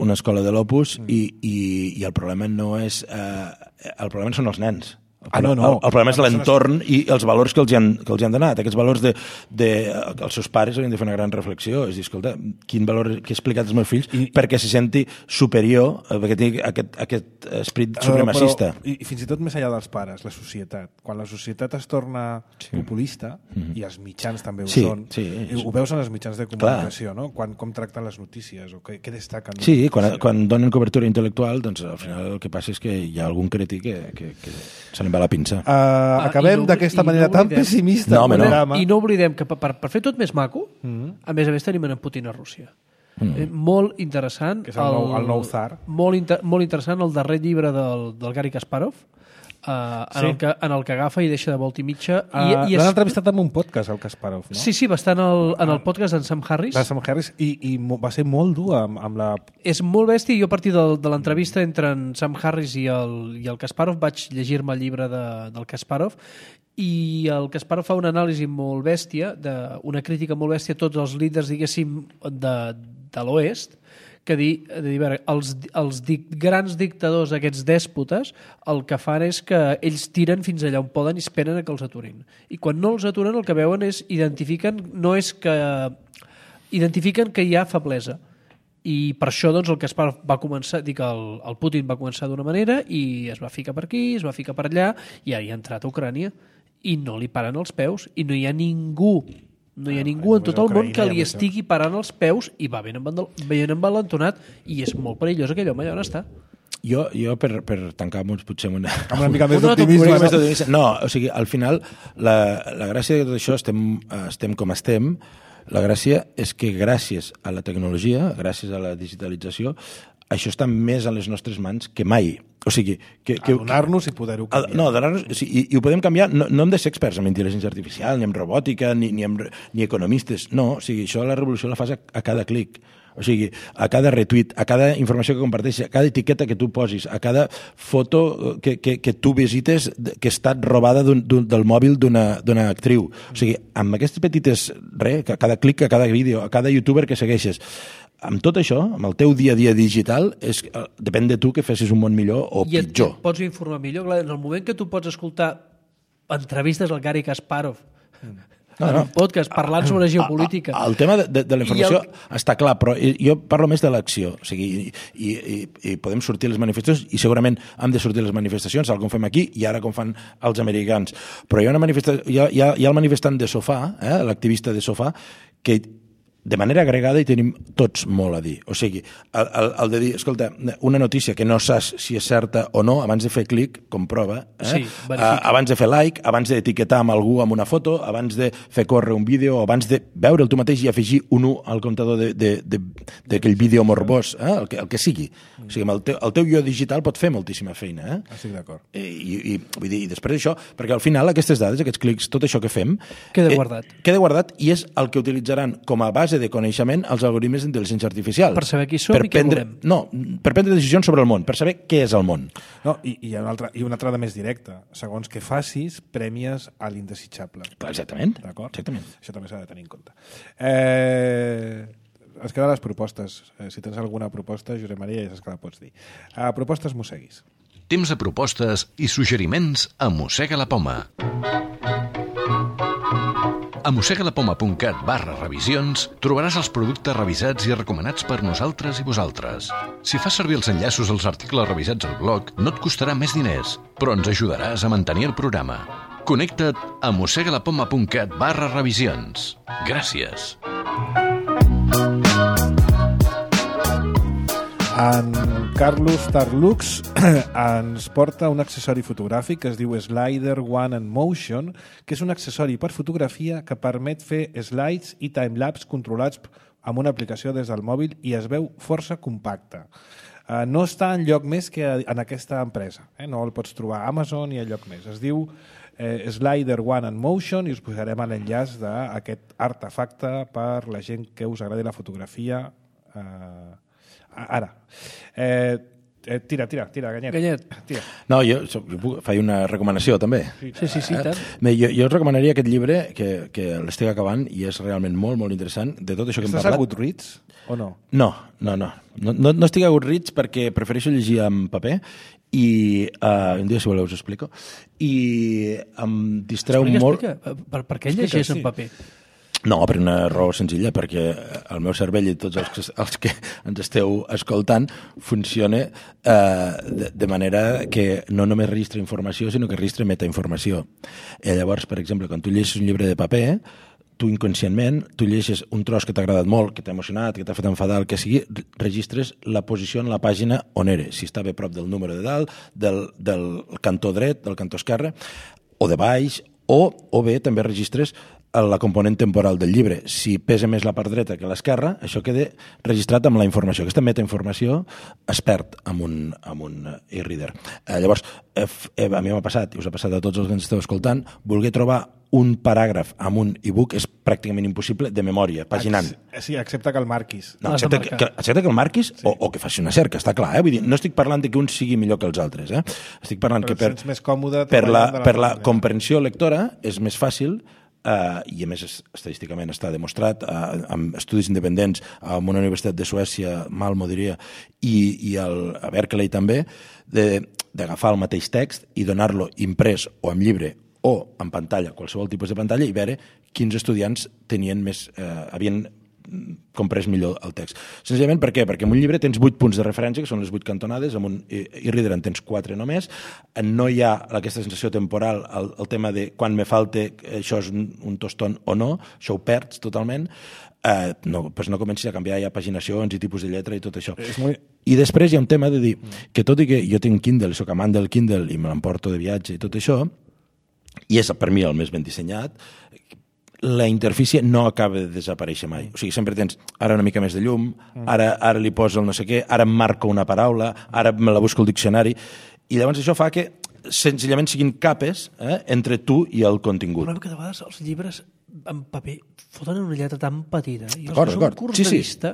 una escola de l'Opus i el problema no és... el problema són els nens. El problema és l'entorn i els valors que els han donat. Aquests valors que els seus pares haurien de fer una gran reflexió. És dir, escolta, quin valor que he explicat als meus fills perquè se senti superior, perquè tingui aquest esperit supremacista. I fins i tot més enllà dels pares, la societat. Quan la societat es torna populista, i els mitjans també ho són, ho veus en els mitjans de comunicació, no? Com tracten les notícies o què destaquen. Sí, quan donen cobertura intel·lectual, doncs al final el que passa és que hi ha algun cretí que se li va la pinça. Acabem d'aquesta manera tan pessimista. I no oblidem que per fer tot més maco, a més tenim en Putin a Rússia. Molt interessant. Que és el nou tsar. Molt interessant el darrer llibre del Garry Kasparov, en el que agafa i deixa de volta i mitja. L'han entrevistat en un podcast, el Kasparov, no? Sí, va estar en el podcast d'en Sam Harris. I va ser molt dur amb la... És molt bèstia, i jo a partir de l'entrevista entre en Sam Harris i el Kasparov vaig llegir-me el llibre del Kasparov, i el Kasparov fa una anàlisi molt bèstia, una crítica molt bèstia a tots els líders, diguéssim, de l'oest, que els grans dictadors, aquests dèspotes, el que fan és que ells tiren fins allà on poden i esperen que els aturin. I quan no els aturen el que veuen és identifiquen que hi ha feblesa. I per això doncs, el que va començar, dic, el Putin va començar d'una manera i es va ficar per aquí, es va ficar per allà i ha entrat a Ucrània i no li paren els peus i no hi ha ningú en tot el món que li estigui parant els peus i va ben envalentonat i és molt perillós aquell home allà on està. Jo per tancar potser amb una mica més d'optimisme. No, o sigui, al final, la gràcia de tot això, estem com estem, la gràcia és que gràcies a la tecnologia, gràcies a la digitalització, això està més a les nostres mans que mai. O sigui, donar-nos i poder-ho canviar. No, donar-nos, i ho podem canviar. No hem de ser experts en intel·ligència artificial, ni en robòtica, ni economistes. No, o sigui, això la revolució la fas a cada clic. O sigui, a cada retuit, a cada informació que comparteixes, a cada etiqueta que tu posis, a cada foto que tu visites que ha estat robada del mòbil d'una actriu. O sigui, amb aquestes petites, a cada clic, a cada vídeo, a cada youtuber que segueixes, amb tot això, amb el teu dia a dia digital, depèn de tu que fessis un món millor o pitjor. I et pots informar millor. En el moment que tu pots escoltar entrevistes al Garry Kasparov, en un podcast parlant sobre geopolítica. El tema de la informació està clar, però jo parlo més de l'acció. O sigui, i podem sortir a les manifestacions i segurament hem de sortir a les manifestacions, tal com fem aquí i ara com fan els americans. Però hi ha el manifestant de sofà, l'activista de sofà, que de manera agregada hi tenim tots molt a dir. O sigui, el de dir, escolta, una notícia que no saps si és certa o no, abans de fer clic, comprova, abans de fer like, abans d'etiquetar amb algú amb una foto, abans de fer córrer un vídeo, abans de veure'l tu mateix i afegir un 1 al comptador d'aquell vídeo morbós, el que sigui. O sigui, el teu jo digital pot fer moltíssima feina. Estic d'acord. I vull dir, després d'això, perquè al final aquestes dades, aquests clics, tot això que fem... Queda guardat. Queda guardat i és el que utilitzaran com a base de coneixement als algoritmes d'intel·ligència artificial. Per saber qui som i què volem. No, per prendre decisions sobre el món, per saber què és el món. No, i una altra de més directa. Segons que facis, prèmies a l'indesitjable. Exactament. D'acord? Exactament. Això també s'ha de tenir en compte. Es queden les propostes. Si tens alguna proposta, Josep Maria, ja saps que la pots dir. Propostes mosseguis. Temps de propostes i suggeriments a Mossega la Poma. A mossegalapoma.cat/revisions trobaràs els productes revisats i recomanats per nosaltres i vosaltres. Si fas servir els enllaços als articles revisats al blog, no et costarà més diners, però ens ajudaràs a mantenir el programa. Connecta't a mossegalapoma.cat/revisions. Gràcies. En Carlos Tarlux ens porta un accessori fotogràfic que es diu Slider One and Motion, que és un accessori per fotografia que permet fer slides i timelapse controlats amb una aplicació des del mòbil i es veu força compacte. No està enlloc més que en aquesta empresa. No el pots trobar a Amazon i enlloc més. Es diu Slider One and Motion i us posarem l'enllaç d'aquest artefacte per la gent que us agradi la fotografia. Ara. Tira, Ganyet. Tira. No, jo faig una recomanació, també. Sí, tant. Jo us recomanaria aquest llibre, que l'estic acabant, i és realment molt, molt interessant, de tot això que hem parlat. Estàs a Goodreads, o no? No estic a Goodreads perquè prefereixo llegir en paper i un dia, si voleu, us ho explico. I em distreu molt... Explica. Per què llegeix en paper? No, per una raó senzilla, perquè el meu cervell i tots els que ens esteu escoltant funciona de manera que no només registra informació, sinó que registra metainformació. Llavors, per exemple, quan tu llegeixes un llibre de paper, tu inconscientment, tu llegeixes un tros que t'ha agradat molt, que t'ha emocionat, que t'ha fet enfadar, el que sigui, registres la posició en la pàgina on eres, si està bé prop del número de dalt, del cantó dret, del cantó esquerre, o de baix, o bé també registres la component temporal del llibre. Si pesa més la part dreta que l'esquerra, això queda registrat amb la informació. Aquesta metainformació es perd amb un e-reader. Llavors, a mi m'ha passat, i us ha passat a tots els que ens esteu escoltant, voler trobar un paràgraf amb un e-book és pràcticament impossible de memòria, paginant. Sí, excepte que el marquis. No, excepte que el marquis o que faci una cerca, està clar. Vull dir, no estic parlant de que un sigui millor que els altres. Estic parlant que per la comprensió lectora és més fàcil i a més estadísticament està demostrat amb estudis independents amb una universitat de Suècia, Malmo diria, i a Berkeley també, d'agafar el mateix text i donar-lo imprès o en llibre o en pantalla, qualsevol tipus de pantalla, i veure quins estudiants havien comprès millor el text. Senzillament per què? Perquè en un llibre tens 8 punts de referència, que són les 8 cantonades, amb un e-reader en tens 4 només, no hi ha aquesta sensació temporal, el tema de quan me falte això és un tostón o no, això ho perds totalment, no comencis a canviar ja paginacions i tipus de lletra i tot això. I després hi ha un tema de dir que tot i que jo tinc Kindle, soc amant del Kindle i me l'emporto de viatge i tot això, i és per mi el més ben dissenyat, la interfície no acaba de desaparèixer mai. O sigui, sempre tens ara una mica més de llum, ara li poso el no sé què, ara em marco una paraula, ara me la busco al diccionari, i llavors això fa que senzillament siguin capes entre tu i el contingut. El problema que de vegades els llibres en paper foten una lletra tan petita i els D'acord, que són curts de vista...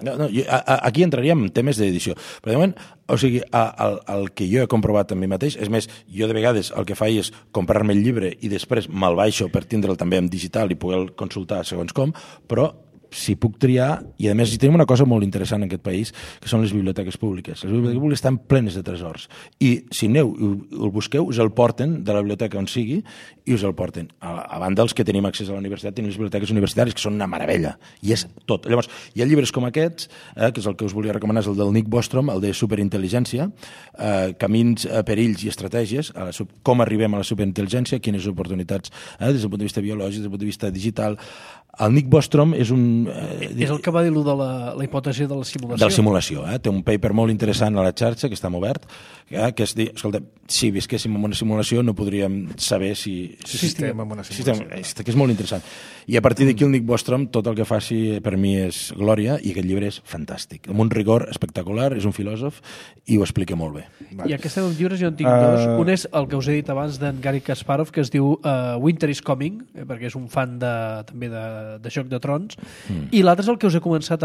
Aquí entraríem en temes d'edició. Però de moment, o sigui, el que jo he comprovat amb mi mateix, és més, jo de vegades el que faig és comprar-me el llibre i després me'l baixo per tindre'l també en digital i poder consultar segons com, però si puc triar, i a més hi tenim una cosa molt interessant en aquest país, que són les biblioteques públiques. Les biblioteques públiques estan plenes de tresors. I si aneu i el busqueu, us el porten de la biblioteca on sigui i us el porten. A banda dels que tenim accés a la universitat, tenim les biblioteques universitàries, que són una meravella. I és tot. Llavors, hi ha llibres com aquests, que és el que us volia recomanar, és el del Nick Bostrom, el de superintel·ligència, camins, perills i estratègies, com arribem a la superintel·ligència, quines oportunitats, des del punt de vista biològic, des del punt de vista digital. El Nick Bostrom és és el que va dir de la hipòtesi de la simulació. De la simulació. Té un paper molt interessant a la xarxa, que està obert, que és dir, escolta, si visquéssim en una simulació no podríem saber si estem en una simulació. Que és molt interessant. I a partir d'aquí el Nick Bostrom, tot el que faci per mi és glòria, i aquest llibre és fantàstic. Amb un rigor espectacular, és un filòsof i ho explica molt bé. I aquests llibres jo en tinc dos. Un és el que us he dit abans d'en Garry Kasparov, que es diu Winter is Coming, perquè és un fan també de Joc de Trons, i l'altre és el que us he comentat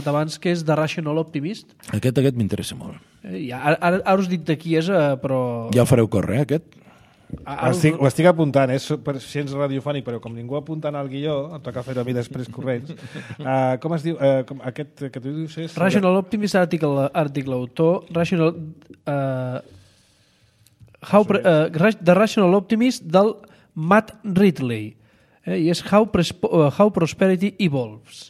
abans, que és The Rational Optimist. Aquest m'interessa molt. Ara us dic de qui és, però... Ja el fareu córrer, aquest? Ho estic apuntant, és per ciència radiofònic, però com ningú apuntant al guió, em toca fer-ho a mi després corrents. Com es diu? Aquest que tu dius és... Rational Optimist, article autor, The Rational Optimist del Matt Ridley. I és How Prosperity Evolves.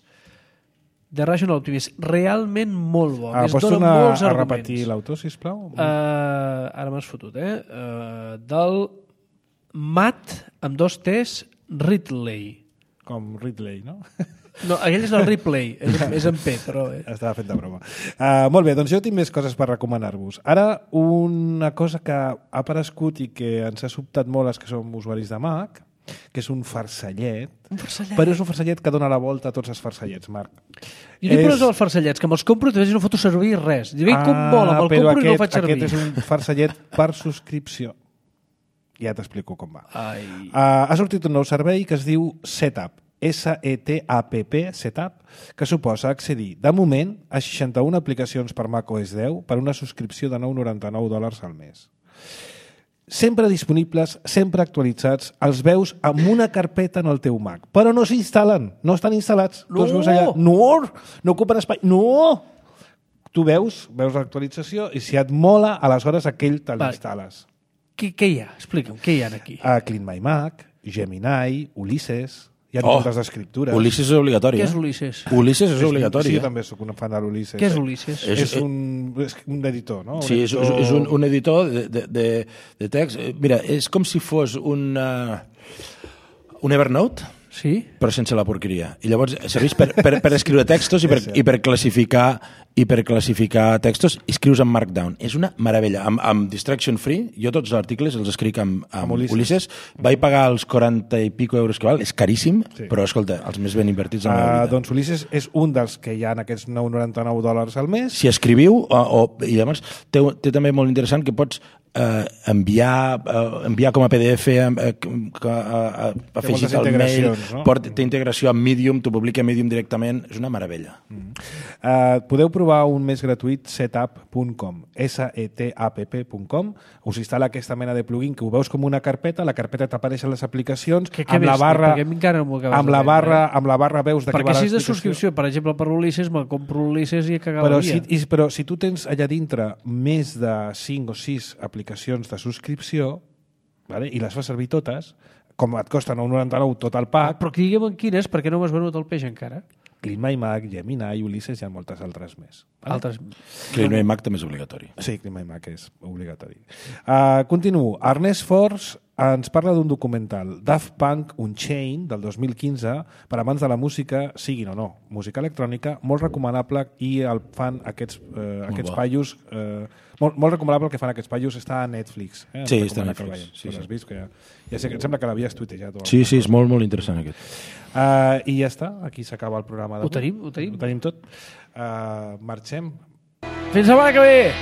The Rational Optimist. Realment molt bo. Pots tornar a repetir l'autor, sisplau? Ara m'has fotut, del Matt, amb 2 T's, Ridley. Com Ridley, no? No, aquell és el Ripley, és en P, però... Estava fent de broma. Molt bé, doncs jo tinc més coses per recomanar-vos. Ara, una cosa que ha aparegut i que ens ha sobtat molt els que som usuaris de Mac, que és un farcellet, però és un farcellet que dona la volta a tots els farcellets, Marc. Jo dic però els farcellets, que me'ls compro i no foto servir res. Dic, com mola, me'l compro i no el faig servir. Aquest és un farcellet per subscripció. Ja t'explico com va. Ha sortit un nou servei que es diu Setup, SETAPP, Setup, que suposa accedir, de moment, a 61 aplicacions per macOS 10 per una subscripció de $9,99 al mes. Sempre disponibles, sempre actualitzats, els veus amb una carpeta en el teu Mac, però no s'instal·len, no estan instal·lats. No! Tu els veus allà, no ocupen espai, no! Tu veus l'actualització i si et mola, aleshores aquell te l'instal·les. Què hi ha? Explica'm, què hi ha aquí? Clean My Mac, Gemini, Ulisses... Hi ha moltes d'escriptures. Ulisses és obligatori. Què és Ulisses? Ulisses és obligatori. Sí, jo també soc un fan de l'Ulisses. Què és Ulisses? És un editor, no? Sí, és un editor de text. Mira, és com si fos un Evernote, sí? Però sense la porqueria. I llavors serveix per escriure textos i per classificar textos, i escrius en Markdown. És una meravella. Amb Distraction Free, jo tots els articles els escric amb Ulisses. Vaig pagar els 40 i pico euros que val, és caríssim, sí. Però escolta, els més ben invertits en la meva vida. Doncs Ulisses és un dels que hi ha en aquests $9,99 al mes. Si escriviu, i llavors té també molt interessant que pots enviar com a PDF, afegit al mail, no? té integració amb Medium, t'ho publica a Medium directament, és una meravella. Podeu provar un mes gratuït setup.com, setapp.com, us instal·la aquesta mena de plugin que ho veus com una carpeta, la carpeta t'apareixen les aplicacions, amb la barra veus de què va perquè si és de l'explicació. subscripció, per exemple, per l'Ulisses, me'l compro l'Ulisses i he cagat la via. Però si tu tens allà dintre més de 5 o 6 aplicacions de subscripció, vale? I les fas servir totes, com et costen $9,99 tot el pack, Però que diguem en quines, perquè no m'has venut el peix encara. CleanMyMac, Gemini, Ulysses i moltes altres més. Altres. CleanMyMac també és obligatori. Sí, CleanMyMac és obligatori. Continuo. Ernest Force ens parla d'un documental, Daft Punk Unchained, del 2015, per amants de la música, siguin o no, música electrònica, molt recomanable, i el fan aquests paios... Molt recomanable el que fan aquests paios, està a Netflix. Sí, està a Netflix. Sí. Has vist que ja sé que em sembla que l'havies tuitejat. Sí, és molt, molt interessant aquest. I ja està, aquí s'acaba el programa d'avui. Ho tenim. Ho tenim tot. Marxem. Fins la setmana que ve!